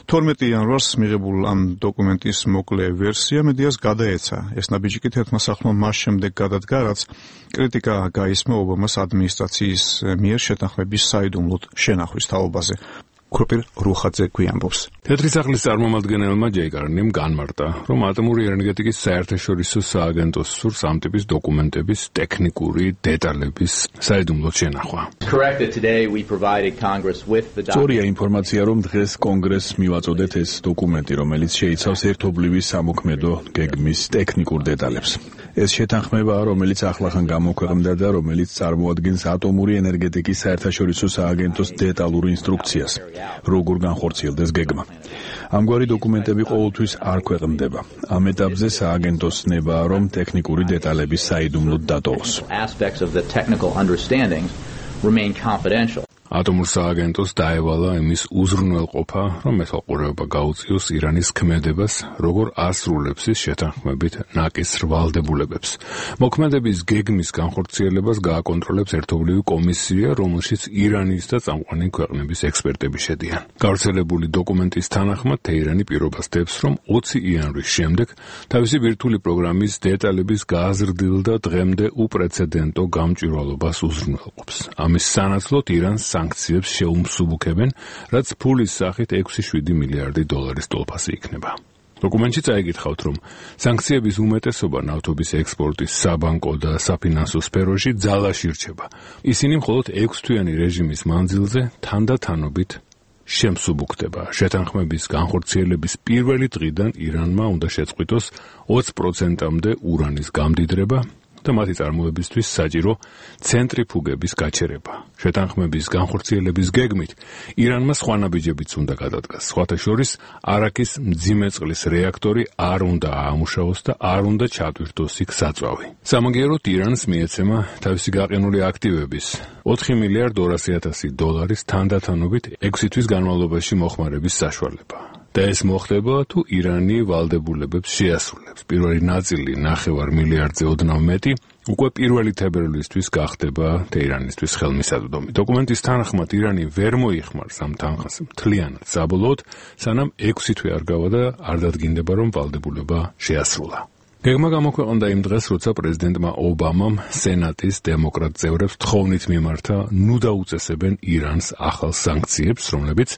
12 იანვარს მიღებულ ამ დოკუმენტის მოკლე ვერსია მედიას გადაეცა. ეს ნაბიჯი კი თეთრმა სახლმა მას შემდეგ გადადგა, რაც კრიტიკა გაისმა ობამას ადმინისტრაციის მიერ შეთანხმების საიდუმლოდ შენახვის თაობაზე. ქუპირ რუხაძე გვიამბობს. თეთრი სახლის წარმომადგენელმა ჯეი კარნიმ განმარტა, რომ ატომური ენერგეტიკის საერთაშორისო სააგენტოს სურს ამ ტიპის დოკუმენტების ტექნიკური დეტალების საიდუმლოდ შენახვა. სწორია ინფორმაცია, რომ დღეს კონგრესს მივაწოდეთ ეს დოკუმენტი, რომელიც შეიცავს ერთობლივი სამოქმედო გეგმის ტექნიკურ დეტალებს. ეს შეთანხმება, რომელიც ახლახან გამოქვეყნდა და რომელიც წარმოადგენს ატომური ენერგეტიკის საერთაშორისო სააგენტოს დეტალურ ინსტრუქციას, როგორ განხორციელდეს გეგმა. ამგვარი დოკუმენტები ყოველთვის არ ქვეყნდება. ამ ეტაპზე სააგენტოს ნება, რომ ტექნიკური დეტალების საიდუმლოდ დატოვოს. ატომურ სააგენტოს დაევალა იმის უზრუნველყოფა, რომ მეთვალყურეობა გაუწიოს ირანის ქმედებას, როგორ ასრულებს ის შეთანხმებით ნაკისრ ვალდებულებებს. მოქმედების გეგმის განხორციელებას გააკონტროლებს ერთობლივი კომისია, რომელშიც ირანის და წამყვანი ქვეყნების ექსპერტები შედიან. გავრცელებული დოკუმენტის თანახმად, თეირანი პირობას დებს, რომ 20 იანვრის შემდეგ თავისი ბირთვული პროგრამის დეტალების გაზრდილ და დღემდე უპრეცედენტო გამჭვირვალობას უზრუნველყოფს. ამის სანაცვლოდ ირანს სანქციებს შეუმსუბუქებენ, რაც ფულის სახით 6-7 მილიარდი დოლარის ტოლფასი იქნება. დოკუმენტში წაიგითხავთ, რომ სანქციების უმეტესობა ნავთობის ექსპორტის საბანკო და საფინანსო სფეროში ძალაში რჩება. ისინი მხოლოდ 6-თვიანი რეჟიმის მანძილზე თანდათანობით შემსუბუქდება. შეთანხმების განხორციელების პირველი დღიდან ირანმა უნდა შეწყვიტოს 20%-მდე ურანის გამდიდრება და მათი წარმოებისთვის საჭირო ცენტრიფუგების გაჩერება. შეთანხმების განხორციელების გეგმით ირანმა სხვა ნაბიჯებიც უნდა გადადგას. სხვათა შორის არაქის მძიმე წყლის რეაქტორი არ უნდა აამუშავოს და არ უნდა ჩატვირთოს იქ საწვავი. სამაგიეროდ ირანს მიეცემა თავისი გაყინული აქტივების 4 მილიარდ 200 დოლარის თანდათანობით 6 თვის განმავლობაში მოხმარების საშუალება. და ეს მოხდება თუ ირანი ვალდებულებებს შეასრულებს. პირველი ნაწილი 9 მილიარდზე ოდნავ მეტი უკვე პირველი თებერვლისთვის გახდება თეირანისთვის ხელმისაწვდომი. დოკუმენტის თანახმად ირანი ვერ მოიხმარს ამ თანხას მთლიანად საბოლოოდ, სანამ 6 თვე არ გავა და არ დადგინდება, რომ ვალდებულება შეასრულა. გეგმა გამოქვეყნდა იმ დღეს, როცა პრეზიდენტმა ობამამ სენატის დემოკრატ წევრებს თხოვნით მიმართა, ნუ დაუწესებენ ირანს ახალ სანქციებს, რომლებიც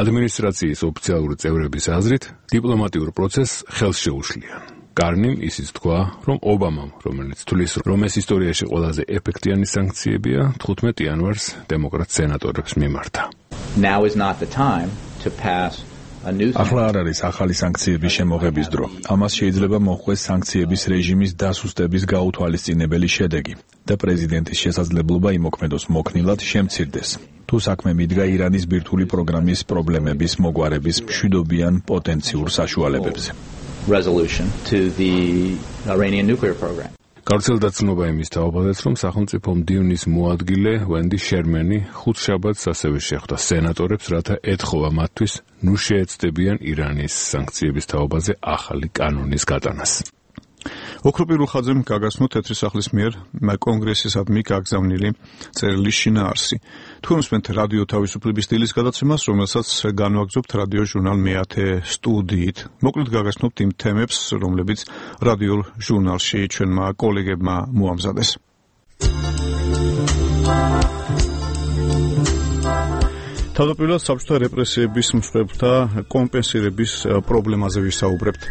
ადმინისტრაციის ოფიციალური წევრების აზრით დიპლომატიურ პროცესს ხელს შეუშლიან. კარნიმ ისიც თქვა, რომ ობამამ, რომელიც თვლის, რომ ეს ისტორიაში ყველაზე ეფექტიანი სანქციებია, 15 იანვარს დემოკრატ სენატორებს მიმართა. Now is not the time to pass ახლა არ არის ახალი სანქციების შემოღების დრო. ამას შეიძლება მოჰყვეს სანქციების რეჟიმის დასუსტების გაუთვალისწინებელი შედეგი და პრეზიდენტის შესაძლებლობა იმოქმედოს მოქნილად შემცირდეს. თუ საქმე მიდგა ირანის ბირთვული პროგრამის პრობლემების მოგვარების მშვიდობიან პოტენციურ საშუალებებზე. Resolution to the Iranian nuclear program. გავრცელდა ცნობა იმის თაობაზეც, რომ სახელმწიფო მდივნის მოადგილე ვენდი შერმენი ხუთშაბათს ასევე შეხვდა სენატორებს, რათა ეთხოვა მათთვის ნუ შეეცდებიან ირანის სანქციების თაობაზე ახალი კანონის გატანას. ოქროპირ ხაძემ გაგაცნო თეთრი სახლის მიერ კონგრესისადმი გაგზავნილი წერილის შინაარსი. თქვენ უსმენთ რადიო თავისუფლების სტილის გადაცემას, რომელსაც განვაგრძობთ რადიო ჟურნალ მეათე სტუდიით. მოკლედ გაგაცნობთ იმ თემებს, რომლებიც რადიო ჟურნალში ჩვენმა კოლეგებმა მოამზადეს. თავდაპირველად საბჭოთა რეპრესიების მსხვერპლთა კომპენსირების პრობლემაზე ვისაუბრებთ.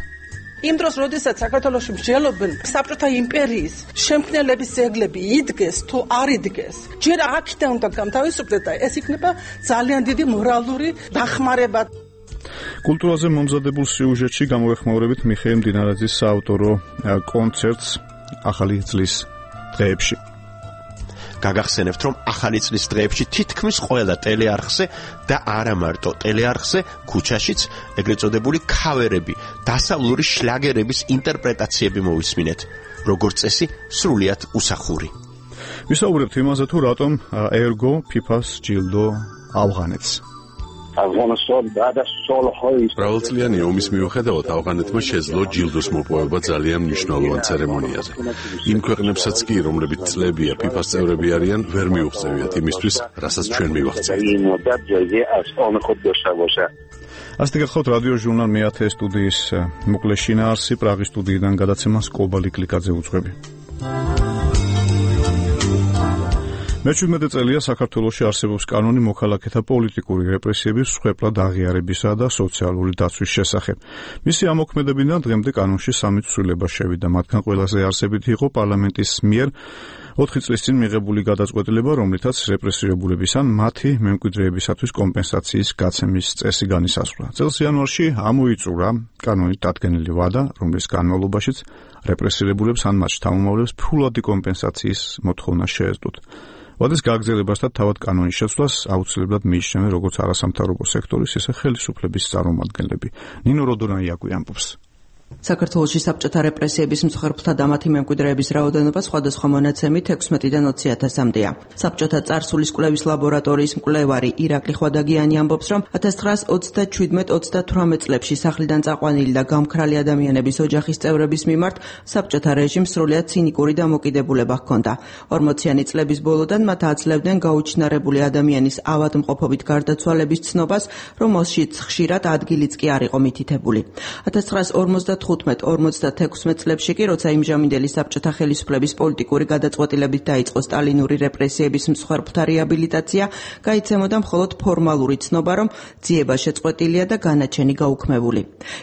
იმ დროს, როდესაც საქართველოში მსჯელობენ საბჭოთა იმპერიის შემქმნელების ძეგლები იდგეს თუ არ იდგეს, ჯერ აქედან უნდა გამთავისუფლდეს და ეს იქნება ძალიან დიდი მორალური დახმარება. კულტურაზე მომზადებულ სიუჟეტში გამოეხმაურებით მიხეილ მდინარაძის საავტორო კონცერტს ახალი წლის დღეებში. გაგახსენებთ, რომ ახალი წლის დღეებში თითქმის ყველა ტელეარხზე და არა მარტო ტელეარხზე, ქუჩაშიც ეგრეთ წოდებული ქავერები, დასავლური შლაგერების ინტერპრეტაციები მოვისმინეთ, როგორც წესი, სრულიად უსახური. ვისაუბრებთ იმაზე, თუ რატომ ერგო ფიფას ჯილდო ავღანეთს. მრავალწლიანი ომის მიუხედავად ავღანეთმა შეძლო ჯილდოს მოპოვება ძალიან მნიშვნელოვან ცერემონიაზე. იმ ქვეყნებსაც კი, რომლებიც წლებია ფიფას წევრები არიან, ვერ მიუღწევიათ იმისთვის, რასაც ჩვენ მივახცევთ. ასეთი გახლავთ რადიო ჟურნალ მეათე სტუდიის მოკლე შინაარსი პრაღის სტუდიიდან გადაცემას კობალი კლიკაძე უძღვები. მე-17 წელია საქართველოში არსებობს კანონი მოქალაქეთა პოლიტიკური რეპრესიების მსხვერპლად აღიარებისა და სოციალური დაცვის შესახებ. მისი ამოქმედებიდან დღემდე კანონში 3 ცვლილება შევიდა, მათგან ყველაზე არსებითი იყო პარლამენტის მიერ 4 წლის წინ მიღებული გადაწყვეტილება, რომლითაც რეპრესირებულების ან მათი მემკვიდრეებისათვის კომპენსაციის გაცემის წესი განისაზღვრა. წელს იანვარში ამოიწურა კანონით დადგენილი ვადა, რომლის განმავლობაშიც რეპრესირებულებს ან მათ შთამომავლებს ფულადი კომპენსაციის მოთხოვნა შეეძლოთ. ვადის გაგრძელებასთან თავად კანონის შეცვლას აუცილებლად მიიჩნევენ როგორც არასამთავრობო სექტორის, ისე ხელისუფლების წარმომადგენლები. ნინო როდონაიაკვი ამბობს. საქართველოში საბჭოთა რეპრესიების მსხვერპლთა და მათი მემკვიდრეების რაოდენობა სხვადასხვა მონაცემით 16-დან 20,000-მდეა. საბჭოთა წარსულის კვლევის ლაბორატორიის მკვლევარი ირაკლი ხვადაგიანი ამბობს, რომ 1927-38 წლებში სახლიდან წაყვანილი და გამქრალი ადამიანების ოჯახის წევრების მიმართ საბჭოთა რეჟიმს სრულიად ცინიკური დამოკიდებულება ჰქონდა. 40-იანი წლების ბოლოდან მათ აძლევდნენ გაუჩინარებული ადამიანის ავადმყოფობით გარდაცვალების ცნობას, რომ მოსშიც ხშირად ადგილიც კი არ იყო მითითებული. 1955-56 წლებში კი, როცა იმჟამინდელი საბჭოთა ხელისუფლების პოლიტიკური გადაწყვეტილებით დაიწყო სტალინური რეპრესიების მსხვერპლთა რეაბილიტაცია, გაიცემოდა მხოლოდ ფორმალური ცნობა, რომ ძიება შეწყვეტილია და განაჩენი გაუქმებული.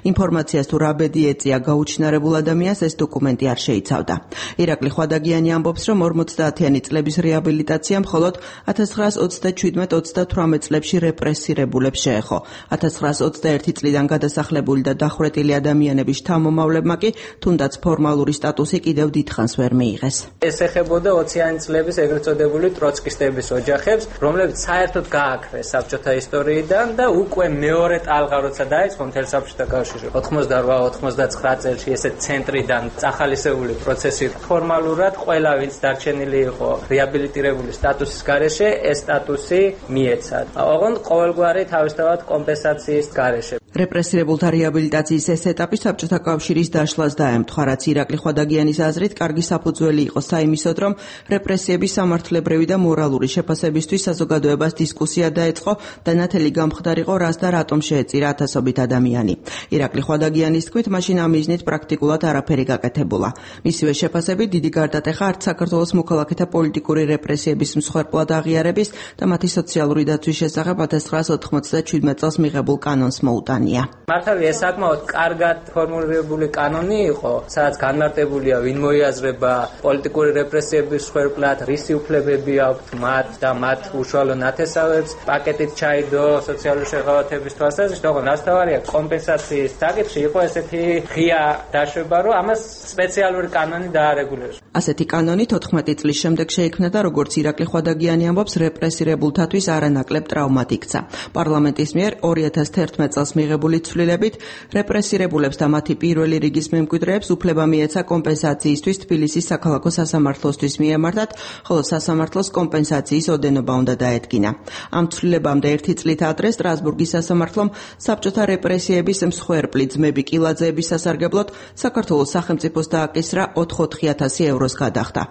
ინფორმაციას თუ რა ბედი ეწია გაუჩინარებულ ადამიანს ეს დოკუმენტი არ შეიცავდა. ირაკლი ხვადაგიანი ამბობს, რომ 50-იანი წლების რეაბილიტაცია მხოლოდ 1927-38 წლებში რეპრესირებულებს შეეხო. 1921 წლიდან გადასახლებული და დახვრეტილი ადამიანების შთამომავლებმა კი თუნდაც ფორმალური სტატუსი კიდევ დიდხანს ვერ მიიღეს. ეს ეხებოდა 20-იანი წლების ეგრეთ წოდებული ტროცკისტების ოჯახებს, რომლებიც საერთოდ გააქრეს საბჭოთა ისტორიიდან და უკვე მეორე ტალღა როცა დაიწყო მთელ საბჭოთა კავშირში 88-99 წელს ესეთ ცენტრიდან წახალისებული პროცესი ფორმალურად ყველა ვინც დარჩენილი იყო რეაბილიტირებული სტატუსის გარეშე, ეს სტატუსი მიეცათ. ოღონდ ყოველგვარი თავისთავად კომპენსაციის გარეშე. რეპრესირებულთა რეაბილიტაციის ეს ეტაპი საბჭოთა კავშირის დაშლას დაემთხვა, რაც ირაკლი ხვადაგიანის აზრით კარგი საფუძველი იყო საიმისოდ, რომ რეპრესიების სამართლებრივი და მორალური შეფასებისთვის საზოგადოებას დისკუსია დაეწყო და ნათელი გამხდარიყო, რას და რატომ შეეწირა ათასობით ადამიანი. ირაკლი ხვადაგიანის თქმით, მაშინ ამ მიზნით პრაქტიკულად არაფერი გაკეთებულა. მისივე შეფასებით, დიდი გარდატეხა არც საქართველოს მოქალაქეთა პოლიტიკური რეპრესიების მსხვერპლად აღიარების და მათი სოციალური დაცვის შესახებ 1997 წელს მიღებულ კანონს მოუტანა. კანონია. მართალია ეს საკმაოდ კარგად ფორმულირებული კანონი იყო, სადაც განმარტებულია ვინ მოიაზრება პოლიტიკური რეპრესიების მსხვერპლად, რისი უფლებები აქვთ მათ და მათ უშუალო ნათესავებს, პაკეტით ჩაიდო სოციალური შეღავათების თვალსაზრისით, თუმცა ნასტავარია კომპენსაციის საკითხი იყო ესეთი ღია დაშვება, რომ ამას სპეციალური კანონი დაარეგულიროს. ასეთი კანონი 14 წლის შემდეგ შეიქმნა და როგორც ირაკლი ხვადაგიანი ამბობს, რეპრესირებულთათვის არანაკლებ ტრაუმად იქცა. პარლამენტის მიერ 2011 წელს მიღებული ცვლილებით რეპრესირებულებს და მათი პირველი რიგის მემკვიდრეებს უფლება მიეცა კომპენსაციისთვის თბილისის საქალაქო სასამართლოსთვის მიემართათ, ხოლო სასამართლოს კომპენსაციის ოდენობა უნდა დაედგინა. ამ ცვლილებამდე 1 წლით ადრე სტრასბურგის სასამართლომ საბჭოთა რეპრესიების მსხვერპლი ძმები კილაძეების სასარგებლოდ საქართველოს სახელმწიფოს დააკისრა 4,000 ევროს გადახდა.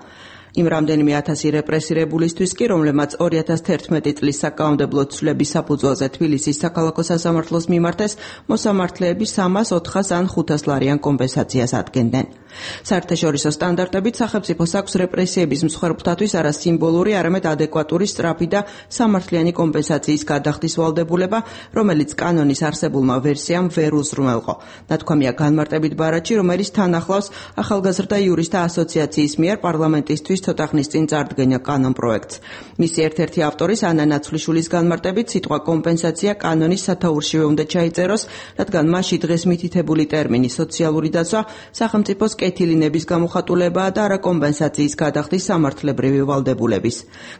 იმ რამდენიმე ათასი რეპრესირებულისთვის კი, რომლებმაც 2011 წლის საკანონმდებლო ცვლილების საფუძველზე თბილისის საქალაქო სასამართლოს მიმართეს, მოსამართლეები 300, 400 ან 500 ლარიან კომპენსაციას ადგენდნენ. საერთაშორისო სტანდარტებით სახელმწიფოს აქვს რეპრესიების მსხვერპლთათვის არა სიმბოლური, არამედ ადეკვატური, სწრაფი და სამართლიანი კომპენსაციის გადახდის ვალდებულება, რომელიც კანონის არსებულმა ვერსიამ ვერ უზრუნველყო. ნათქვამია განმარტებით ბარათში, რომელიც თან ახლავს ახალგაზრდა იურისტთა ასოციაციის მიერ პარლამენტისთვის ცოტა ხნის წინ წარდგენა კანონ პროექტს. მისი ერთ-ერთი ავტორის ანა ნაცვლიშვილის განმარტებით, სიტყვა კომპენსაცია კანონის სათაურშივე უნდა ჩაიწეროს, რადგან მასში დღეს მითითებული ტერმინი სოციალური დაცვა სახელმწიფოს კეთილინების გამოხატულებაა და არა კომპენსაციის გადახდის სამართლებრივი ვალდებულების.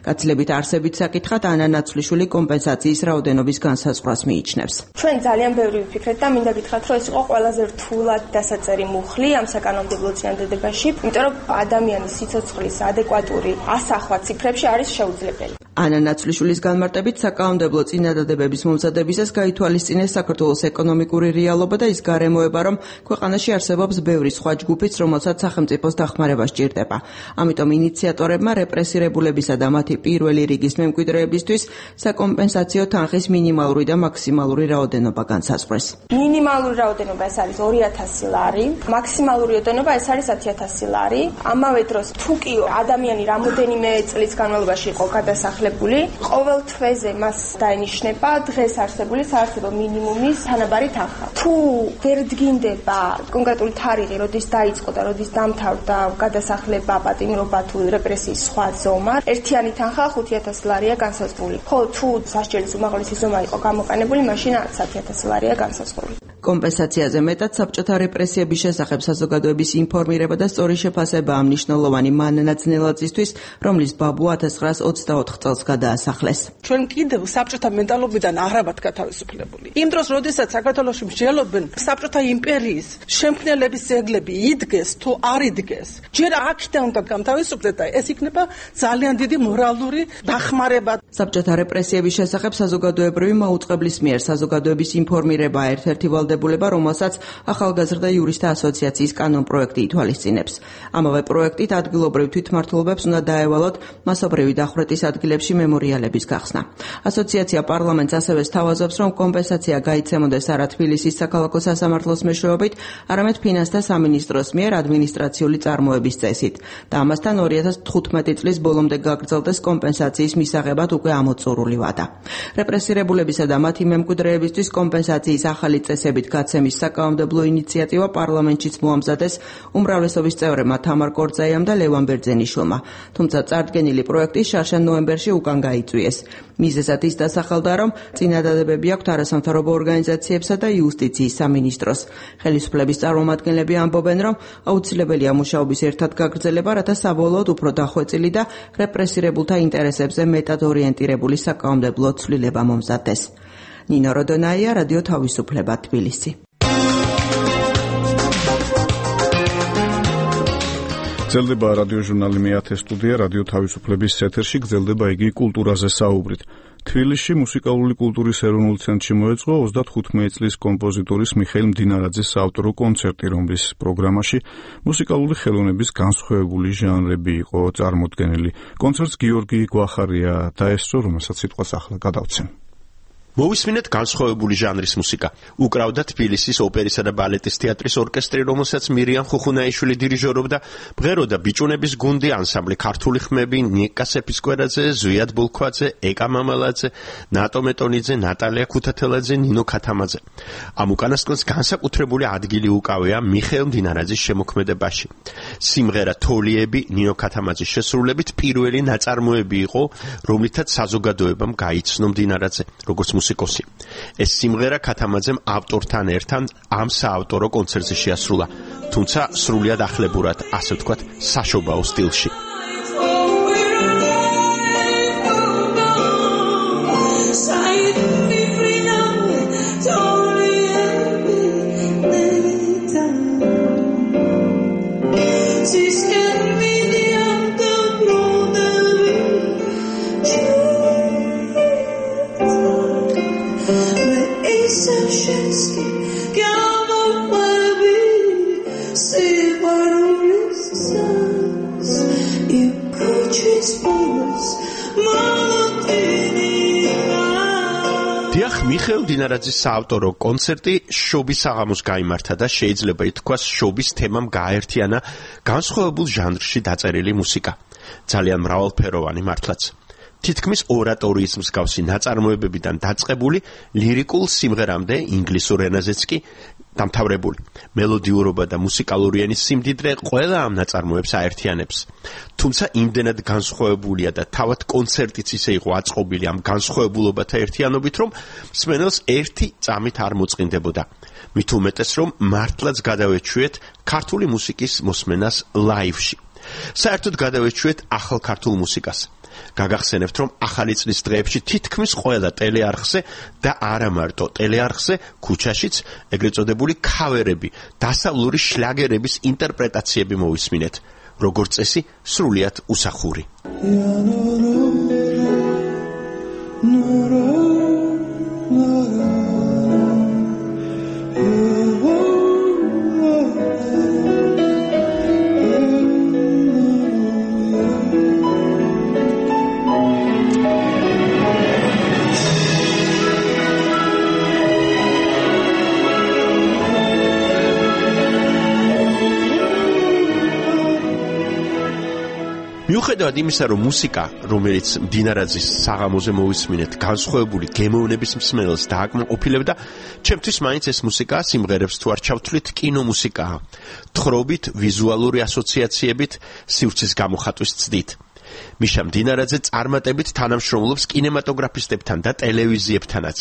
გაცილებით არსებით საკითხად ანა ნაცვლიშვილი კომპენსაციის რაოდენობის განსაზღვრას მიიჩნევს. ჩვენ ძალიან ბევრი ვფიქრეთ და მინდა გითხრათ, რომ ეს იყო ყველაზე რთულად დასაწერი მუხლი ამ საკანონმდებლო წინადადებაში, იმიტომ რომ ადამიანის სიცოცხლის ადეკვატური ასახვა ციფრებში არის შეუძლებელი. ანა ნაცვლიშვილის განმარტებით საკანონმდებლო წინადადებების მომზადებისას გაითვალისწინეს საქართველოს ეკონომიკური რეალობა და ის გარემოება, რომ ქვეყანაში არსებობს ბევრი სხვა ჯგუფიც, რომელსაც სახელმწიფოს დახმარება სჭირდება. ამიტომ ინიციატორებმა რეპრესირებულებისა და მათი პირველი რიგის მემკვიდრეებისთვის საკომპენსაციო თანხის მინიმალური და მაქსიმალური რაოდენობა განსაზღვრეს. მინიმალური რაოდენობა ეს არის 2000 ლარი, მაქსიმალური რაოდენობა ეს არის 10000 ლარი. ამავე დროს თუ კი ადამიანი რამოდენიმე წლის განმავლობაში იყო გადასახლებული, ყოველ თვეზე მას დაენიშნება დღეს არსებული საარსებო მინიმუმის თანაბარი თანხა. თუ ვერ დგინდება კონკრეტული თარიღი, როდის დაიწყო და როდის დამთავრდა გადასახლება, პატიმრობა თუ რეპრესიის სხვა ზომა, ერთიანი თანხა 5000 ლარია განსაზღვრული. ხოლო თუ სასჯელის უმაღლესი ზომა იყო გამოყენებული, მაშინ 10000 ლარია განსაზღვრული. კომპენსაციაზე მეტად საბჭოთა რეპრესიების შესახებ საზოგადოების ინფორმირება და სწორი შეფასებაა მნიშვნელოვანი მანანა ძნელაძისთვის, რომლის ბაბუ 1924 წელს გადაასახლეს. ჩვენ კიდევ საბჭოთა მენტალობიდან აღრაბად გათავისუფლებული. იმ დროს, როდესაც საქართველოში მსჯელობენ საბჭოთა იმპერიის შემქმნელების ძეგლები იდგეს თუ არ იდგეს, ჯერ აქედან უნდა გამთავისუფლდეს და ეს იქნება ძალიან დიდი მორალური დახმარება. საბჭოთა რეპრესიების შესახებ საზოგადოებრივი მაუწყებლის მიერ საზოგადოების ინფორმირება ერთ-ერთი ვალდებულება, რომელსაც ახალგაზრდა იურისტთა ასოციაციის კანონ პროექტი ითვალისწინებს. ამავე პროექტით ადგილობრივ თვითმმართველობებს უნდა დაევალოთ მასობრივი დახვრეტის ადგილებში მემორიალების გახსნა. ასოციაცია პარლამენტს ასევე სთავაზობს, რომ კომპენსაცია გაიცემოდეს არა თბილისის საქალაქო სასამართლოს მეშვეობით, არამედ ფინანსთა სამინისტროს მიერ ადმინისტრაციული წარმოების წესით და ამასთან 2015 წლის ბოლომდე გაგრძელდეს კომპენსაციის მისაღებად უკვე ამოწურული ვადა. რეპრესირებულებისა და მათი მემკვიდრეებისთვის კომპენსაციის ახალი წესებით გაცემის საკანონმდებლო ინიციატივა პარლამენტშიც მოამზადეს უმრავლესობის წევრებმა თამარ კორძაიამ და ლევან ბერძენიშვილმა, თუმცა წარდგენილი პროექტი შარშან ნოემბერში უკან გაიწვიეს. მიზეზად ის დასახელდა, რომ წინადადებები აქვთ არასამთავრობო ორგანიზაციებსა და იუსტიციის სამინისტროს. ხელისუფლების წარმომადგენლები ამბობენ, რომ აუცილებელია მუშაობის ერთად გაგრძელება, რათა საბოლოოდ უფრო დახვეწილი და რეპრესირებულთა ინტერესებზე მეტად ორიენტირებული საკანონმდებლო ცვლილება მომზადდეს. ნინო როდონაია, რადიო თავისუფლება, თბილისი. გრძელდება რადიო ჟურნალი მე-10 სტუდია, რადიო თავისუფლების ეთერში გრძელდება იგი კულტურაზე საუბრით. თბილისში მუსიკალური კულტურის ეროვნულ ცენტრში მოეწყო 35 წლის კომპოზიტორის მიხეილ მდინარაძის საავტორო კონცერტი, რომლის პროგრამაში მუსიკალური ხელოვნების განსხვავებული ჟანრები იყო წარმოდგენილი. კონცერტს გიორგი გვახარია დაესწრო, რომელსაც სიტყვას ახლა გადავცემ. მოვისმინეთ განსხვავებული ჟანრის მუსიკა. უკრავდა თბილისის ოპერისა და ბალეტის თეატრის ორკესტრი, რომელსაც მირიამ ხუხუნაიშვილი დირიჟორობდა, ბღეროდა ბიჭუნების გუნდი, ანსამბლი ქართული ხმები, ნიკა სეფისკვერაძე, ზვიად ბულქვაძე, ეკა მამალაძე, ნატო მეტონიძე, ნატალია ქუთათელაძე, ნინო ქათამაძე. ამ უკანასკნელს განსაკუთრებული ადგილი უკავია მიხეილ მდინარაძის შემოქმედებაში. სიმღერა თოლიები ნინო ქათამაძის შესრულებით პირველი ნაწარმოები იყო, რომლითაც საზოგადოებამ გაიცნო მდინარაძე, როგორც მუსიკოსი. ეს სიმღერა ქათამაძემ ავტორთან ერთად ამ საავტორო კონცერტზე შეასრულა, თუმცა სრულიად ახლებურად, ასე ვთქვათ, საშობაო სტილში. მიხეილ მდინარაძის საავტორო კონცერტი შობის საღამოს გაიმართა და შეიძლება ითქვას შობის თემამ გააერთიანა განსხვავებულ ჟანრში დაწერილი მუსიკა. ძალიან მრავალფეროვანი მართლაც. თითქმის ორატორიის მსგავსი ნაწარმოებებიდან დაწყებული ლირიკულ სიმღერამდე ინგლისურ ენაზეც კი დამთავრებული. მელოდიურობა და მუსიკალური ენის სიმდიდრე ყველა ამ ნაწარმოებს აერთიანებს. თუმცა იმდენად განსხვავებულია და თავად კონცერტიც ისე იყო აწყობილი ამ განსხვავებულობათა ერთიანობით, რომ მსმენელს ერთი წამით არ მოწყინდებოდა. მით უმეტეს, რომ მართლაც გადავეჩვიეთ ქართული მუსიკის მოსმენას ლაივში. საერთოდ გადავეჩვიეთ ახალ ქართულ მუსიკას. გაგახსენებთ, რომ ახალი წლის დღეებში თითქმის ყველა ტელეარხზე და არა მარტო ტელეარხზე, ქუჩაშიც ეგრეთ წოდებული ქავერები, დასავლური შლაგერების ინტერპრეტაციები მოვისმინეთ. როგორც წესი, სრულიად უსახური. მიუხედავად იმისა, რომ მუსიკა, რომელიც მდინარაძის საღამოზე მოვისმინეთ, განსხვავებული გემოვნების მსმენელს დააკმაყოფილებდა, ჩემთვის მაინც ეს მუსიკა სიმღერებს თუ არ ჩავთვლით, კინომუსიკაა. თხრობით, ვიზუალური ასოციაციებით, სივრცის გამოხატვის ცდით. მიშა მდინარაძე წარმატებით თანამშრომლობს კინემატოგრაფისტებთან და ტელევიზიებთანაც.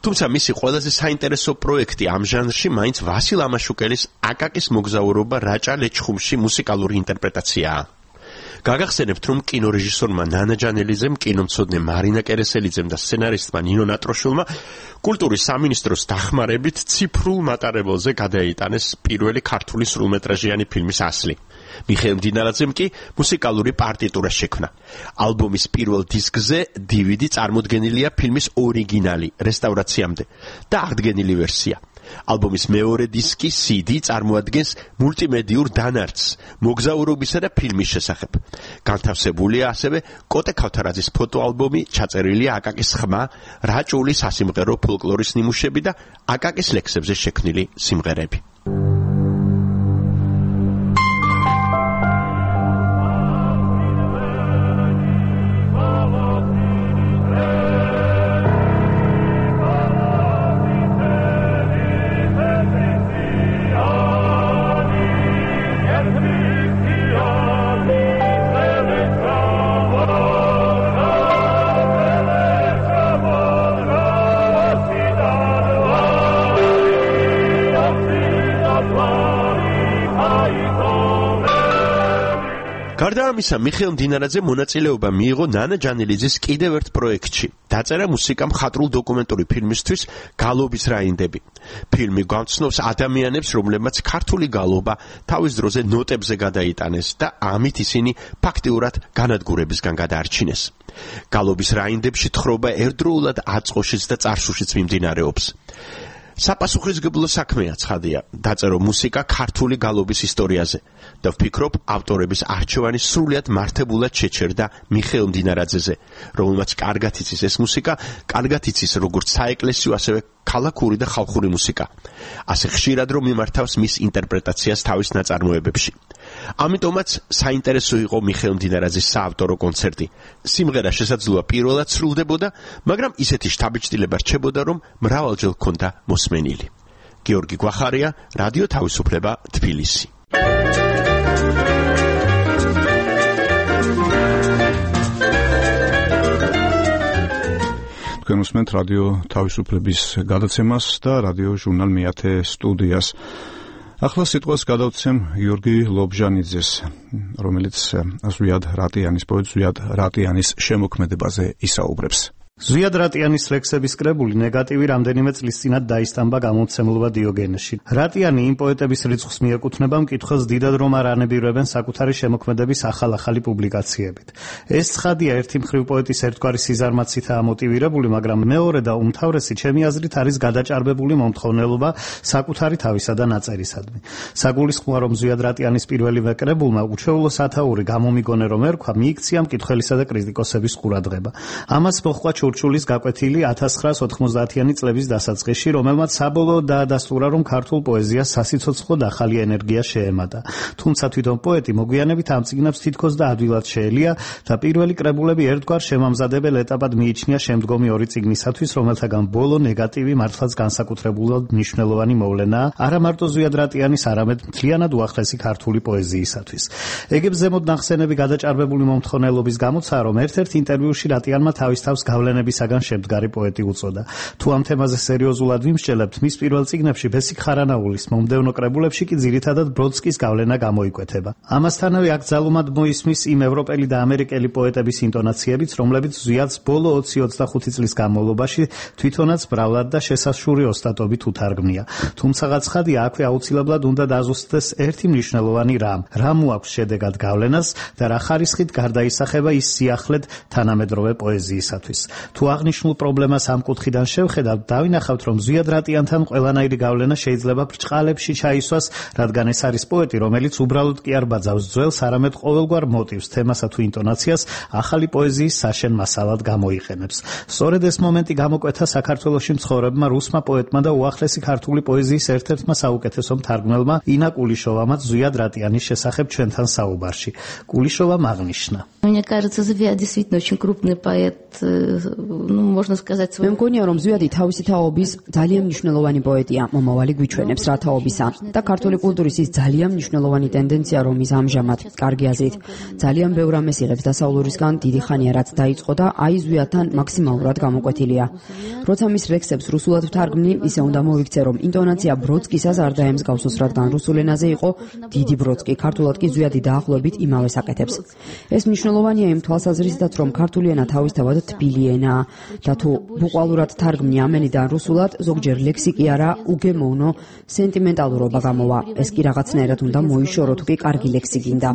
თუმცა მისი ყველაზე საინტერესო პროექტი ამ ჟანრში მაინც ვასილ ამაშუკელის აკაკის მოგზაურობა რაჭა ლეჩხუმში მუსიკალური ინტერპრეტაციაა. გაგახსენებთ, რომ კინორეჟისორმა ნანა ჯანელიძემ, კინომცოდნე მარინა კერესელიძემ და სცენარისტმა ნინო ნატროშვილმა კულტურის სამინისტროს დახმარებით ციფრულ მატარებელზე გადაიტანეს პირველი ქართული სრულმეტრაჟიანი ფილმის ასლი. მიხეილ მდინარაძემ კი მუსიკალური პარტიტურა შექმნა. ალბომის პირველ დისკზე DVD წარმოდგენილია ფილმის ორიგინალი რესტავრაციამდე და აღდგენილი ვერსია. ალბომის მეორე დისკი CD წარმოადგენს მულტიმედიურ დანარჩს მოგზაურობისა და ფილმის შესახებ. განთავსებულია ასევე კოტე ქავთარაძის ფოტოალბომი, ჩაწერილია აკაკის ხმა, რაჭული სასიმღერო ფოლკლორის ნიმუშები და აკაკის ლექსებზე შექმნილი სიმღერები. გარდა ამისა, მიხეილ მდინარაძე მონაწილეობა მიიღო ნანა ჯანელიძის კიდევ ერთ პროექტში. დაწერა მუსიკა მხატვრულ დოკუმენტური ფილმისთვის გალობის რაინდები. ფილმი გვამცნობს ადამიანებს, რომლებმაც ქართული გალობა თავის დროზე ნოტებზე გადაიტანეს და ამით ისინი ფაქტიურად განადგურებისგან გადაარჩინეს. გალობის რაინდებში თხრობა ერთდროულად აწყოშიც და წარსულშიც მიმდინარეობს. საპასუხისმგებლო საქმეა ცხადია დაწერო მუსიკა ქართული გალობის ისტორიაზე და ვფიქრობ ავტორების არჩევანი სრულიად მართებულად შეჩერდა მიხეილ მდინარაძეზე, რომელმაც კარგად იცის ეს მუსიკა, კარგად იცის როგორც საეკლესიო, ასევე ქალაქური და ხალხური მუსიკა. ასე ხშირად რომ მიმართავს მის ინტერპრეტაციას თავის ნაწარმოებებში. ამიტომაც საინტერესო იყო მიხეილ მდინარაძის საავტორო კონცერტი. სიმღერა შესაძლოა პირველად სრულდებოდა, მაგრამ ისეთი შთაბეჭდილება რჩებოდა, რომ მრავალჯერ ჰქონდა მოსმენილი. გიორგი გვახარია, რადიო თავისუფლება, თბილისი. თქვენ უსმენთ რადიო თავისუფლების გადაცემას და რადიო ჟურნალ მეათე სტუდიას. ახლა სიტყვას გადავცემ გიორგი ლობჟანიძეს, რომელიც ზვიად რატიანის პოეტ ზვიად რატიანის შემოქმედებაზე ისაუბრებს. ზვიად რატიანის ლექსების კრებული ნეგატივი რამდენიმე წლის წინათ დაისტამბა გამომცემლობა დიოგენეში. რატიანი იმ პოეტების რიცხვს მიეკუთვნება მკითხველს დიდად რომ არ ანებირებენ საკუთარი შემოქმედების ახალ-ახალი პუბლიკაციებით. ეს ცხადია, ერთი მხრივ პოეტის ერთგვარი სიზარმაცითაა მოტივირებული, მაგრამ მეორე და უმთავრესი ჩემი აზრით არის გადაჭარბებული მომთხოვნელობა საკუთარი თავისა და ნაწერისადმი. საგულისხმოა, რომ ზვიად რატიანის პირველივე კრებულმა უჩვეულო სათაური გამომიგონე რომ ერქვა, მიიქცია მკითხველისა და კრიტიკოსების ყურადღება. ამას მოჰყვა ჩურჩულის გაკვეთილი 1990-იანი წლების დასაწყისში, რომელმაც საბოლოოდ დაადასტურა, რომ ქართულ პოეზიას სასიცოცხლოდ ახალი ენერგია შეემატა. თუმცა თვითონ პოეტი მოგვიანებით ამ წიგნებს თითქოს და ადვილად შეელია და პირველი კრებულები ერთგვარ შემამზადებელ ეტაპად მიიჩნია შემდგომი ორი წიგნისათვის, რომელთაგან ბოლო ნეგატივი მართლაც განსაკუთრებულად მნიშვნელოვანი მოვლენაა, არა მარტო ზვიად რატიანის, არამედ მთლიანად უახლესი ქართული პოეზიისათვის. ეგებს ზემოთ ნახსენები გადაჭარბებული მომთხოვნელობის გამოცაა, რომ ერთ-ერთ ინტერვიუში რატიანმა თავის თავს გავლენებისაგან შემდგარი პოეტი უწოდა. თუ ამ თემაზე სერიოზულად ვიმსჯელებთ, მის პირველ წიგნებში ბესიკ ხარანაულის, მომდევნო კრებულებში კი ძირითადად ბროდსკის გავლენა გამოიკვეთება. ამასთანავე აქ ძალუმად მოისმის იმ ევროპელი და ამერიკელი პოეტების ინტონაციებიც, რომლებიც ზვიადს ბოლო 20-25 წლის განმავლობაში თვითონაც ბრალად და შესაშური ოსტატობით უთარგმნია. თუმცა ცხადია, აქვე აუცილებლად უნდა დაზუსტდეს ერთი მნიშვნელოვანი რამ მოაქვს შედეგად გავლენას და რა ხარისხით გარდაისახება ის სიახლედ თანამედროვე პოეზიისათვის. თუ აღნიშნულ პრობლემას ამ კუთხიდან შევხედავთ, დავინახავთ, რომ ზვიად რატიანთან ყველანაირი გავლენა შეიძლება ბრჭყალებში ჩაისვას, რადგან ეს არის პოეტი, რომელიც უბრალოდ კი არ ბაძავს ძველს, არამედ ყოველგვარ მოტივს, თემასა თუ ინტონაციას ახალი პოეზიის საშენ მასალად გამოიყენებს. სწორედ ეს მომენტი გამოკვეთა საქართველოში მცხოვრებმა რუსმა პოეტმა და უახლესი ქართული პოეზიის ერთ-ერთმა საუკეთესო მთარგმნელმა ინა კულიშოვამაც ზვიად რატიანის შესახებ ჩვენთან საუბარში. კულიშოვამ აღნიშნა: Мне кажется, Звиад действительно очень крупный поэт, можно сказать. მე მგონია, რომ ზვიადი თავისი თაობის ძალიან მნიშვნელოვანი პოეტია, მომავალი გვიჩვენებს რა თაობისა და ქართული კულტურის ის ძალიან მნიშვნელოვანი ტენდენცია, რომ ის ამჟამად, კარგი აზრით, ძალიან ბევრ ამას იღებს დასავლურისგან დიდი ხანია რაც დაიწყო და აი ზვიადთან მაქსიმალურად გამოკვეთილია. როცა მის ლექსებს რუსულად ვთარგმნი, ისე უნდა მოვიქცე, რომ ინტონაცია ბროდსკისას არ დაემსგავსოს, რადგან რუსულ ენაზე იყო დიდი ბროდსკი, ქართულად კი ზვიადი დაახლოებით იმავეს აკეთებს. ეს მნიშვნელოვანია იმ თვალსაზრისითაც, რომ ქართული ენა თავისთავად თბილი ენაა და თუ ბუყვალურად თარგმნი ამ ენიდან რუსულად, ზოგჯერ ლექსიკი არა, უგემოვნო სენტიმენტალურობა გამოვა. ეს კი რაღაცნაირად უნდა მოიშორო, თუ კი კარგი ლექსი გინდა.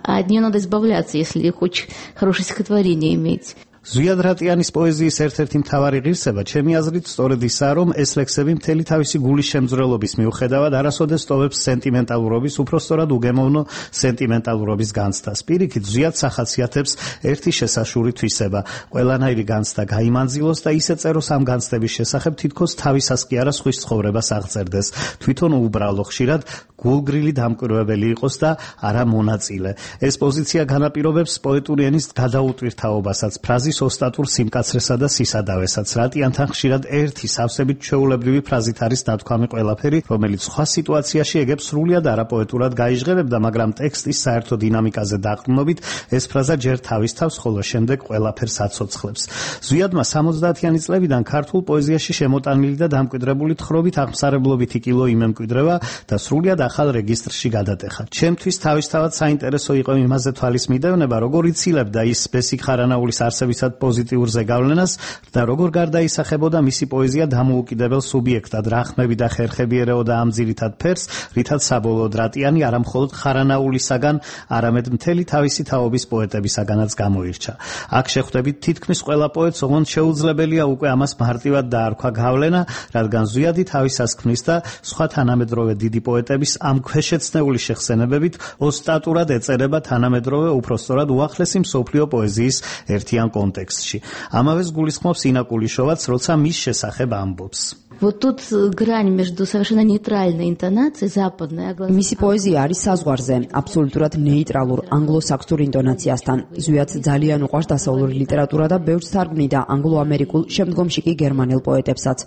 А от нее надо избавляться, если хочешь хорошее стихотворение иметь. ზვიად რატიანის პოეზიის ერთ-ერთი მთავარი ღირსება, ჩემი აზრით, სწორედ ისაა, რომ ეს ლექსები მთელი თავისი გულის შემძვრელობის მიუხედავად არასოდეს ტოვებს სენტიმენტალურობის, უпростоრად უგემოვნო სენტიმენტალურობის განცდას. პირიქით, ზვიადს ახასიათებს ერთი შესაშური თვისება. ყველანაირი განცდა გაიმანძილოს და ისე წეროს ამ განცდების შესახებ, თითქოს თავისას კი არა სხვის ცხოვრებას აღწერდეს. თვითონ უბრალო, ხშირად გულგრილი დამკვირვებელი იყოს და არა მონაწილე. ეს პოზიცია განაპირობებს პოეტური ენის გადაუტვირთაობასაც, ფრაზის ოსტატურ სიმკაცრესა და სისადავესაც. რატიანთან ხშირად ერთი სავსებით ჩვეულებრივი ფრაზით არის ნათქვამი ყველაფერი, რომელიც სხვა სიტუაციაში ეგებს სრულიად არაპოეტურად გაიჟღერებდა, მაგრამ ტექსტის საერთო დინამიკაზე დაყრდნობით ეს ფრაზა ჯერ თავის თავს, ხოლო შემდეგ ყველაფერს აცოცხლებს. ზვიადმა 70-იანი წლებიდან ქართულ პოეზიაში შემოტანილი და დამკვიდრებული თხრობით აღმსარებლობითი კილო იმემკვიდრება და სრულიად ახალ რეგისტრში გადატეხა. ჩემთვის თავისთავად საინტერესო იყო იმაზე თვალის მიდევნება, როგორ იცილებდა ის ბესიკ ხარანაულის არსებისა მაგალითად პოზიტიურ ზეგავლენას და როგორ გარდაისახებოდა მისი პოეზია დამოუკიდებელ სუბიექტად, რა ხმები და ხერხები ერეოდა ამ ძირითად ფერს, რითაც საბოლოოდ რატიანი არა მხოლოდ ხარანაულისაგან, არამედ მთელი თავისი თაობის პოეტებისაგანაც გამოირჩა. აქ შეხვდებით თითქმის ყველა პოეტს, ოღონდ შეუძლებელია უკვე ამას მარტივად დაარქვა გავლენა, რადგან ზვიადი თავისას ქმნის და სხვა თანამედროვე დიდი პოეტების ამ ქვეშეცნეული შეხსენებებით ოსტატურად ეწერება თანამედროვე უпроსტორად უახლესი მსოფლიო პოეზიის ერთიან კონტექსტში. ამავეს გულისხმობს ინა კულიშოვაც, როცა მის შესახებ ამბობს. Вот тут грань между совершенно нейтральной интонацией западной, მისი პოეზია არის საზღვარზე, აბსოლუტურად ნეიტრალურ ანგლო-საქსურ ინტონაციასთან. ზვიად ძალიან უყვარს დასავლური ლიტერატურა და ბევრს თარგმნიდა ანგლო-ამერიკულ, შემდგომში კი გერმანელ პოეტებსაც.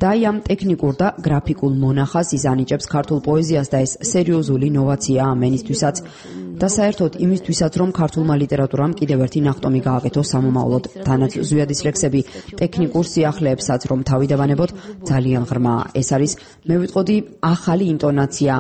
და ამ ტექნიკურ და გრაფიკულ მონახას იზანიჭებს ქართულ პოეზიას და ეს სერიოზული ნოვაცია ამენისთვისაც. და საერთოდ იმისთვისაც, რომ ქართულმა ლიტერატურამ კიდევ ერთი ნახტომი გააკეთოს სამომავლოდ. თანაც ზვიადის ლექსები ტექნიკურ სიახლეებსაც რომ თავი დავანებოთ, ძალიან ღრმაა. ეს არის, მე ვიტყოდი, ახალი ინტონაცია,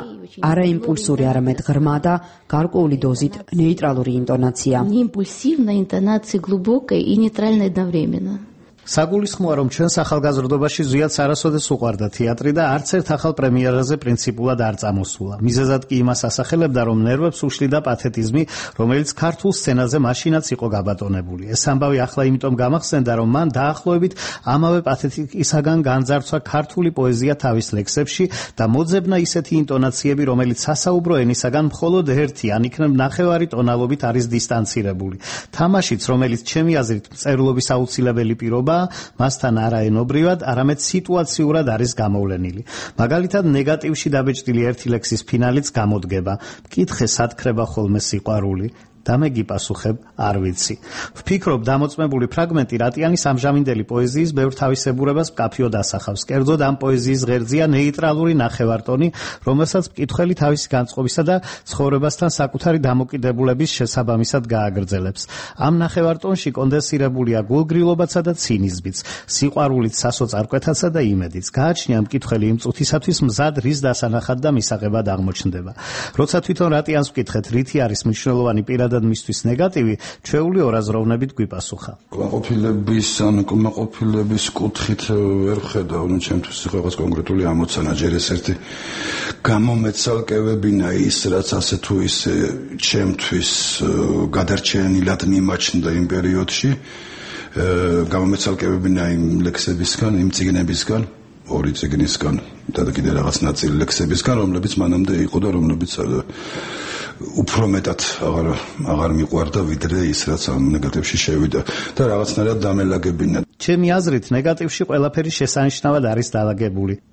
არა იმპულსური, არამედ ღრმა და გარკვეული დოზით ნეიტრალური ინტონაცია. Не импульсивная интонация, глубокая и нейтральная одновременно. საგულისხმოა, რომ ჩვენს ახალგაზრდობაში ზვიადს არასოდეს უყვარდა თეატრი და არც ერთ ახალ პრემიერაზე პრინციპულად არ წამოსულა. მიზეზად კი იმას ასახელებდა, რომ ნერვებს უშლიდა პათეტიზმი, რომელიც ქართულ სცენაზე მაშინაც იყო გაბატონებული. ეს ამბავი ახლა იმიტომ გამახსენდა, რომ მან დაახლოებით ამავე პათეტიკისაგან განძარცვა ქართული პოეზია თავის ლექსებში და მოძებნა ისეთი ინტონაციები, რომელიც სასაუბრო ენისაგან მხოლოდ ერთი, ან იქნებ ნახევარი ტონალობით არის დისტანცირებული. თამაშიც, რომელიც ჩემი აზრით მწერლობის აუცილებელი პირობა, მასთან არაენობრივად, არამედ სიტუაციურად არის გამოვლენილი. მაგალითად, ნეგატივში დაბეჭდილი ერთი ლექსის ფინალიც გამოდგება. მკითხე სათქრება ხოლმე სიყვარული. და მე გიპასუხებ, არ ვიცი. ვფიქრობ, დამოწმებული ფრაგმენტი რატიანის ამჟამინდელი პოეზიის ბევრ თავისებურებას მკაფიოდ ასახავს. კერძოდ ამ პოეზიის ღერძია ნეიტრალური ნახევარტონი, რომელსაც მკითხველი თავისი განწყობისა და ცხოვრებასთან საკუთარი დამოკიდებულების შესაბამისად გააგრძელებს. ამ ნახევარტონში კონდენსირებულია გულგრილობაცა და ცინიზმიც, სიყვარულით, სასოწარკვეთაცა და იმედიც. გააჩნია მკითხველი იმ წუთისათვის მზად რის დასანახად და მისაღებად აღმოჩნდება. როცა თვითონ რატიანს ვკითხეთ, რითი არის მნიშვნელოვანი პირადად მისთვის ნეგატივი, ჩვეული ორაზროვნებით გვიპასუხა. კმაყოფილების ან კმაყოფილების კუთხით ვერ ხედავ, ჩემთვის რაღაც კონკრეტული ამოცანა, ჯერ ეს ერთი გამომეცალკევებინა ის, რაც ასე თუ ისე ჩემთვის გადარჩენილად მიმაჩნდა იმ პერიოდში, გამომეცალკევებინა იმ ლექსებისგან, იმ წიგნებისგან, ორი წიგნისგან და კიდე რაღაც ნაწილი ლექსებისგან, რომლებიც მანამდე იყო და რომლებიც უფრო მეტად აღარ მიყვარდა ვიდრე ის, რაც ამ ნეგატივში შევიდა და რაღაცნაირად დამელაგებინა. ჩემი აზრით, ნეგატივში ყველაფერი შესანიშნავად არის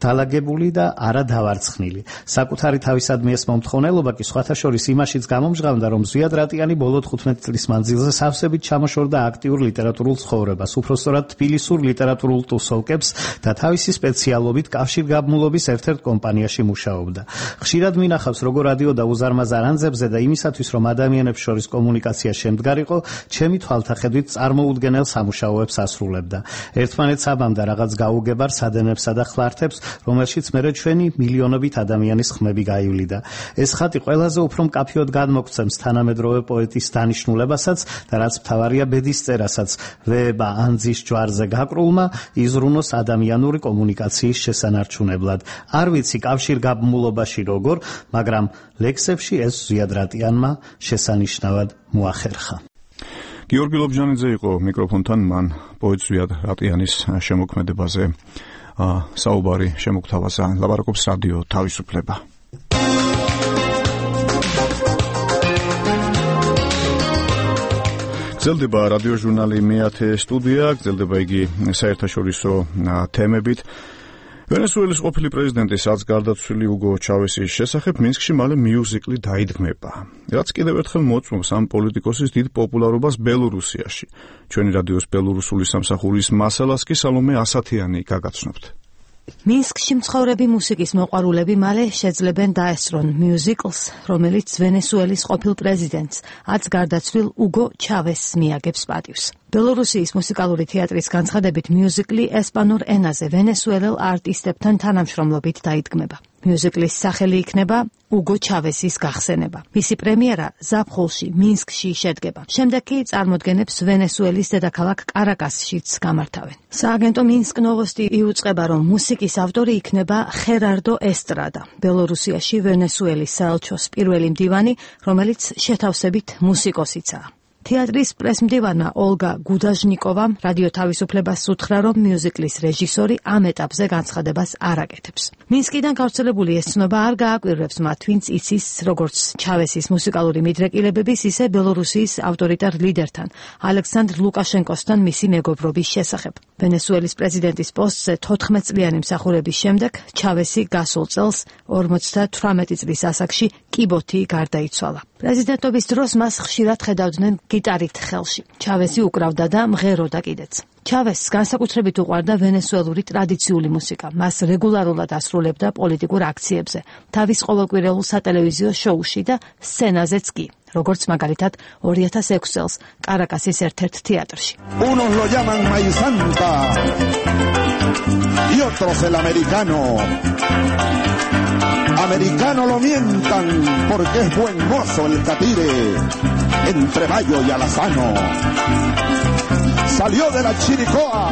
დალაგებული და არა დავარცხნილი. საკუთარი თავისადმი ეს მომთხოვნელობა კი სხვათა შორის იმაშიც გამომჟღავნდა, რომ ზვიად რატიანი ბოლო 15 წლის მანძილზე სავსებით ჩამოშორდა აქტიურ ლიტერატურულ ცხოვრებას, უпроსტორად თბილისურ ლიტერატურულ ტუსოვკებს და თავისი სპეციალობით კავშირგაბმულობის ერთ-ერთ კომპანიაში მუშაობდა. ხშირად მინახავს, როგორ რადიოდა უზარმაზარ ანძებზე და იმისათვის, რომ ადამიანებს შორის კომუნიკაცია შემდგარიყო, ჩემი თვალთახედვით წარმოუდგენელ სამუშაოებს ასრულებდა. ერთმანეთს აბამდა რაღაც გაუგებარ სადენებსა და ხლართებს, რომელშიც მერე ჩვენი მილიონობით ადამიანის ხმები გაივლიდა. ეს ხატი ყველაზე უფრო მკაფიოდ გადმოგცემს თანამედროვე პოეტის დანიშნულებასაც და რაც მთავარია ბედისწერასაც, ვეება ანძის ჯვარზე გაკრულმა იზრუნოს ადამიანური კომუნიკაციის შესანარჩუნებლად. არ ვიცი კავშირგაბმულობაში როგორ, მაგრამ ლექსებში ეს ზვიად რატიანმა შესანიშნავად მოახერხა. გიორგი ლობჟანიძე იყო მიკროფონთან, მან პოეტ ზვიად რატიანის შემოქმედებაზე საუბარი შემოგთავაზა. ლაპარაკობს რადიო თავისუფლება. გრძელდება რადიო ჟურნალი მე-10 სტუდია, გრძელდება იგი საერთაშორისო თემებით. ვენესუელის ყოფილი პრეზიდენტის რაც გარდაცვლილი უგო ჩავესის შესახებ მინსკში მალე მიუზიკლი დაიდგმება, რაც კიდევ ერთხელ მოწმობს ამ პოლიტიკოსის დიდ პოპულარობას ბელორუსიაში. ჩვენი რადიოს ბელორუსული სამსახურის მასალას კი სალომე ასათიანი გაგაცნობთ. მინსკში მცხოვრები მუსიკის მოყვარულები მალე შეძლებენ დაესწრონ მიუზიკლს, რომელიც ვენესუელის ყოფილ პრეზიდენტს, აც გარდაცვლილ უგო ჩავესს მიაგებს პატივს. ბელორუსიის მუსიკალური თეატრის განცხადებით მიუზიკლი ესპანურ ენაზე ვენესუელელ არტისტებთან თანამშრომლობით დაიდგმება. მიუზიკლის სახელი იქნება უგო ჩავესის გახსენება. მისი პრემიერა ზაფხულში მინსკში შედგება. შემდეგ კი წარმოდგენებს ვენესუელის დედაქალაქ კარაკასშიც გამართავენ. სააგენტო მინსკ ნოვოსტი იუწყება, რომ მუსიკის ავტორი იქნება ხერარდო ესტრადა, ბელორუსიაში ვენესუელის საელჩოს პირველი მდივანი, რომელიც შეთავსებით მუსიკოსიცაა. თეატრის პრესმდივანმა ოლგა გუდაჟნიკოვამ რადიო თავისუფლებას უთხრა, რომ მიუზიკლის რეჟისორი ამ ეტაპზე განცხადებას არ აკეთებს. მინსკიდან გავრცელებული ეს ცნობა არ გააკვირვებს მათ, ვინც იცის როგორც ჩავესის მუსიკალური მიდრეკილებების, ისე ბელორუსიის ავტორიტარ ლიდერთან, ალექსანდრ ლუკაშენკოსთან მისი მეგობრობის შესახებ. ვენესუელის პრეზიდენტის პოსტზე 14 წლიანი მსახურების შემდეგ ჩავესი გასულ წელს 58 წლის ასაკში კიბოთი გარდაიცვალა. პრეზიდენტობის დროს მას ხშირად ხედავდნენ გიტარით ხელში. ჩავესი უკრავდა და მღეროდა კიდეც. ჩავესს განსაკუთრებით უყვარდა ვენესუელური ტრადიციული მუსიკა. მას რეგულარულად ასრულებდა პოლიტიკურ აქციებზე, თავის ყოველკვირეულ სატელევიზიო შოუში და სცენაზეც კი, როგორც მაგალითად 2006 წელს კარაკასის ერთ-ერთ თეატრში. Unos lo llaman maíz santa y otros el americano. Americano lo mientan porque es buen mozo el catire entre Mayo y Alazano. Salió de la Chiricoa.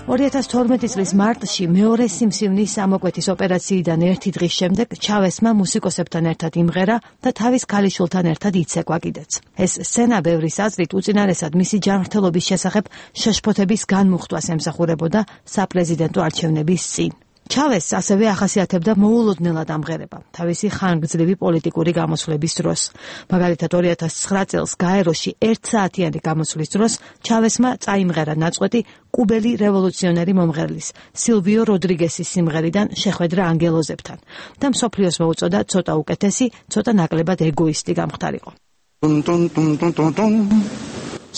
2012 წლის მარტში მეორე სიმსივნის ამოკვეთის ოპერაციიდან ერთი დღის შემდეგ ჩავესმა მუსიკოსებთან ერთად იმღერა და თავის ქალიშვილთან ერთად იცეკვა კიდეც. ეს სცენა ბევრის აზრით უწინარესად მისი ჯანმრთელობის შესახებ შეშფოთების განმუხტვას ემსახურებოდა საპრეზიდენტო არჩევნების წინ. ჩავესს ასევე ახასიათებდა მოულოდნელად ამღერება თავისი ხანგრძლივი პოლიტიკური გამოსვლების დროს. მაგალითად 2009 წელს გაეროში 1 საათიანი გამოსვლის დროს ჩავესმა წაიმღერა ნაწყვეტი კუბელი რევოლუციონერი მომღერლის სილვიო როდრიგესის სიმღერიდან შეხვედრა ანგელოზებთან და მსოფლიოს მოუწოდა ცოტა უკეთესი, ცოტა ნაკლებად ეგოისტი გამختارიყო.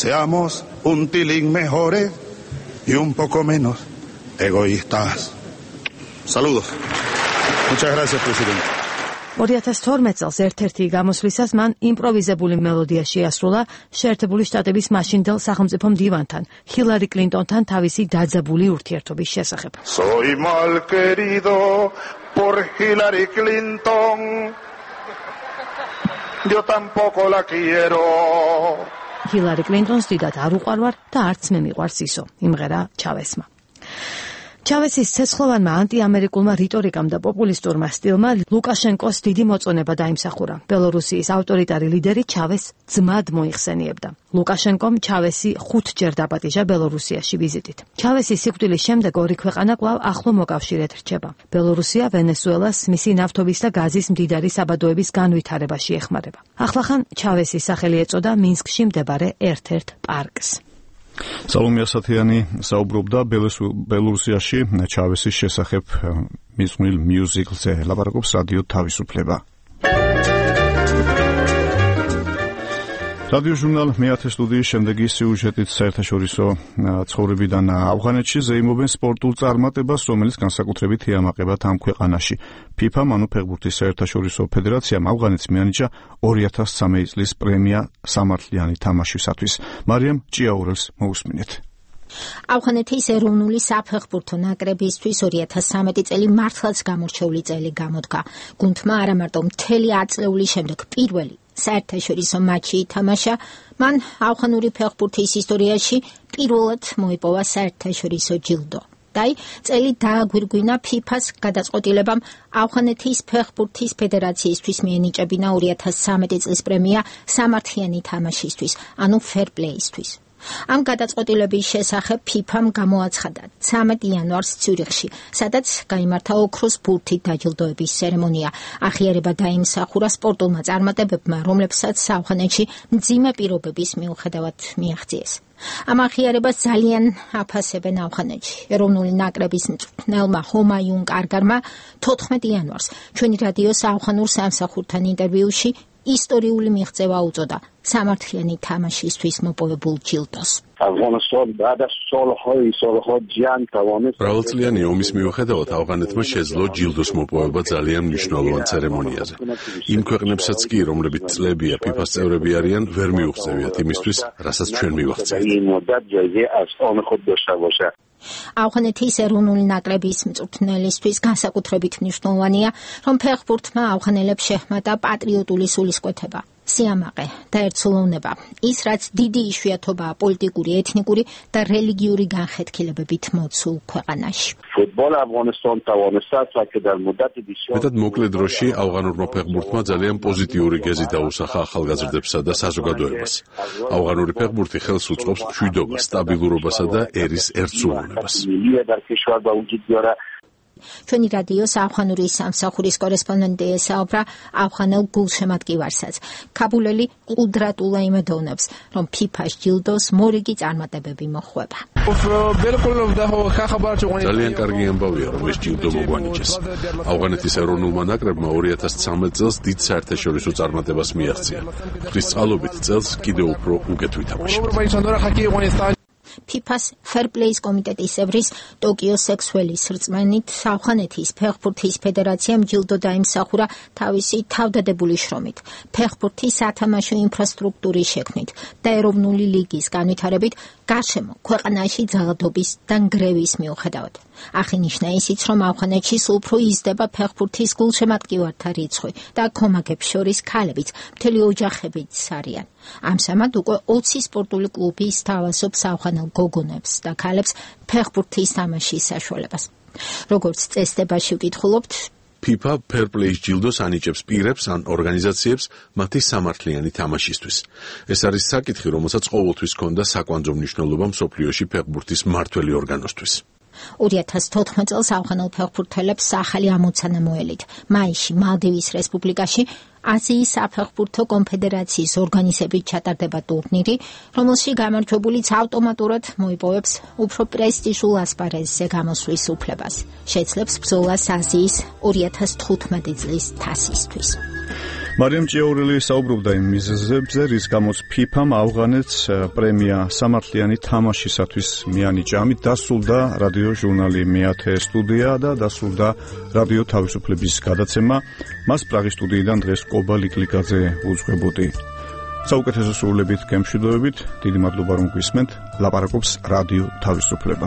Seamos un tilín mejores y un poco menos egoístas. Saludos. Muchas gracias, presidente. 2012 წელს ერთ-ერთი გამოსვლისას მან იმპროვიზებული მელოდია შეასრულა შეერთებული შტატების მაშინდელ სახელმწიფო მდივანთან, ჰილარი კლინტონთან თავისი დაძაბული ურთიერთობის შესახებ. Soy mal querido por Hillary Clinton. Yo tampoco la quiero. ჰილარი კლინტონს დიდად არ უყვარვარ და არც მე მიყვარს ისო, იმღერა ჩავესმა. ჩავესის ცეცხლოვანმა ანტიამერიკულმა რიტორიკამ და პოპულისტურმა სტილმა ლუკაშენკოს დიდი მოწონება დაიმსახურა. ბელორუსიის ავტორიტარი ლიდერი ჩავესს ძმად მოიხსენიებდა. ლუკაშენკომ ჩავესი 5 ჯერ დაპატიჟა ბელორუსიაში ვიზიტით. ჩავესის სიკვდილის შემდეგ ორი ქვეყანა კვლავ ახლო მოკავშირედ რჩება. ბელორუსია ვენესუელას მისი ნავთობის და გაზის მდიდარი საბადოების განვითარებაში ეხმარება. ახლახან ჩავესის სახელი ეწოდა მინსკში მდებარე ერთ-ერთ პარკს. სალომე ასათიანი საუბრობდა ბელორუსიაში ჩავესის შესახებ მისმულ მიუზიკლზე. ლაპარაკობს რადიო თავისუფლება. რადიო ჟურნალ მეათე სტუდიის შემდეგი სიუჟეტით საერთაშორისო ცხოვრებიდან ავღანეთში ზეიმობენ სპორტულ წარმატებას, რომელიც განსაკუთრებით ეამაყებათ ამ ქვეყანაში. FIFA, ანუ ფეხბურთის საერთაშორისო ფედერაციამ ავღანეთს მიანიჭა 2013 წლის პრემია სამართლიანი თამაშისათვის. მარიამ ჭიაურელს მოусმინეთ. ავღანეთის ეროვნული საფეხბურთო ნაკრებისთვის 2013 წელი მართლაც გამორჩეული წელი გამოდგა. გუნდმა არა მარტო მთელი ათწლეულის შემდეგ პირველი საერთაშორისო მატჩი ითამაშა, მან ავღანური ფეხბურთის ისტორიაში პირველად მოიპოვა საერთაშორისო ჯილდო. დაი წელი დააგვირგვინა FIFA-ს გადაწყვეტილებამ ავღანეთის ფეხბურთის ფედერაციისთვის მიენიჭებინა 2013 წლის პრემია სამართლიანი თამაშისთვის, ანუ fair play-ისთვის. ამ გადაწყვეტილების შესახებ FIFA-მ გამოაცხადა 13 იანვარს ციურიხში, სადაც გაიმართა ოქროს ბურთით დაჯილდოების ცერემონია. აღიარება დაიმსახურა სპორტულმა წარმატებებმა, რომლებსაც ავღანეთში მძიმე პირობების მიუხედავად მიაღწიეს. ამ აღიარებას ძალიან აფასებენ ავღანეთში. ეროვნული ნაკრების მწვრთნელმა ჰომაიუნ კარგარმა 14 იანვარს ჩვენი რადიოს ავღანურ სამსახურთან ინტერვიუში ისტორიული მიღწევა უწოდა სამართლიანი თამაშისთვის მოპოვებულ ჯილდოს. მრავალწლიანი ომის მიუხედავად ავღანეთმა შეძლო ჯილდოს მოპოვება ძალიან მნიშვნელოვან ცერემონიაზე. იმ ქვეყნებსაც კი, რომლებიც წლებია FIFA-ს წევრები არიან, ვერ მიუღწევიათ იმისთვის, რასაც ჩვენ მივახცევთ. ავღანეთის ეროვნული ნაკრების მწვრთნელისთვის განსაკუთრებით მნიშვნელოვანია, რომ ფეხბურთმა ავღანელებს შეჰმატა პატრიოტული სულისკვეთება, სიამაყე და ერთსულოვნება, ის რაც დიდი იშვიათობაა პოლიტიკური, ეთნიკური და რელიგიური განხეთქილებებით მოცულ ქვეყანაში. მეტად მოკლე დროში ავღანურმა ფეხბურთმა ძალიან პოზიტიური გეზი დაუსახა ახალგაზრდებსა და საზოგადოებას. ავღანური ფეხბურთი ხელს უწყობს მშვიდობას, სტაბილურობასა და ერის ერთსულოვნებას. ჩვენი რადიოს ავღანური სამსახურის კორესპონდენტი ესაუბრა ავღანელ გულშემატკივარსაც. ქაბულელი ყუდრატულა იმედოვნებს, რომ FIFA-ს ჯილდოს მორიგი წარმატებები მოხვება. ძალიან კარგი ამბავია, რომ ეს ჯილდო მოგვანიჭეს. ავღანეთის ეროვნულმა ნაკრებმა 2013 წელს დიდ საერთაშორისო წარმატებას მიაღწია. ღვთისწყალობით წელს კიდევ უფრო უკეთ ვითამაშებთ. FIFA-ს Fair Play-ის კომიტეტის წევრის ტოკიო სექსუელის რწმენით ავღანეთის ფეხბურთის ფედერაციამ ჯილდო დაიმსახურა თავისი თავდადებული შრომით, ფეხბურთის სათამაშო ინფრასტრუქტურის შექმნით და ეროვნული ლიგის განვითარებით გარშემო ქვეყანაში ძალადობის და ნგრევის მიუხედავად. აღინიშნა ისიც, რომ ავღანეთში სულ უფრო იზრდება ფეხბურთის გულშემატკივართა რიცხვი და ქომაგებს შორის ქალებიც მთელი ოჯახებიც არიან. ამჟამად უკვე 20 სპორტული კლუბი სთავაზობს ავღანელ გოგონებს და ქალებს ფეხბურთის თამაშის საშუალებას. როგორც წესდებაში ვკითხულობთ, FIFA Fair Play-ის ჯილდოს ანიჭებს პირებს ან ორგანიზაციებს მათი სამართლიანი თამაშისთვის. ეს არის საკითხი, რომელსაც ყოველთვის ჰქონდა საკვანძო მნიშვნელობა მსოფლიოში ფეხბურთის მმართველი ორგანოსთვის. 2014 წელს ავღანელ ფეხბურთელებს ახალი ამოცანა მოელით. მაისში მალდივის რესპუბლიკაში აზიის საფეხბურთო კონფედერაციის ორგანიზებით ჩატარდება ტურნირი, რომელში გამარჯვებულიც ავტომატურად მოიპოვებს უფრო პრესტიჟულ ასპარეზზე გამოსვლის უფლებას. შეძლებს ბრძოლას აზიის 2015 წლის თასისთვის. მარიამ ჭიაურელი საუბრობდა იმ მიზეზებზე, რის გამოც FIFA-მ ავღანეთს პრემია სამართლიანი თამაშისათვის მიანიჭა. ამით დასრულდა რადიო ჟურნალი მეათე სტუდია და დასრულდა რადიო თავისუფლების გადაცემა. მას პრაღის სტუდიიდან დღეს კობა ლიკლიკაძე უძღვებოდი. საუკეთესო სრულებით გემშვიდობებით, დიდი მადლობა რომ გვისმენთ. ლაპარაკობს რადიო თავისუფლება.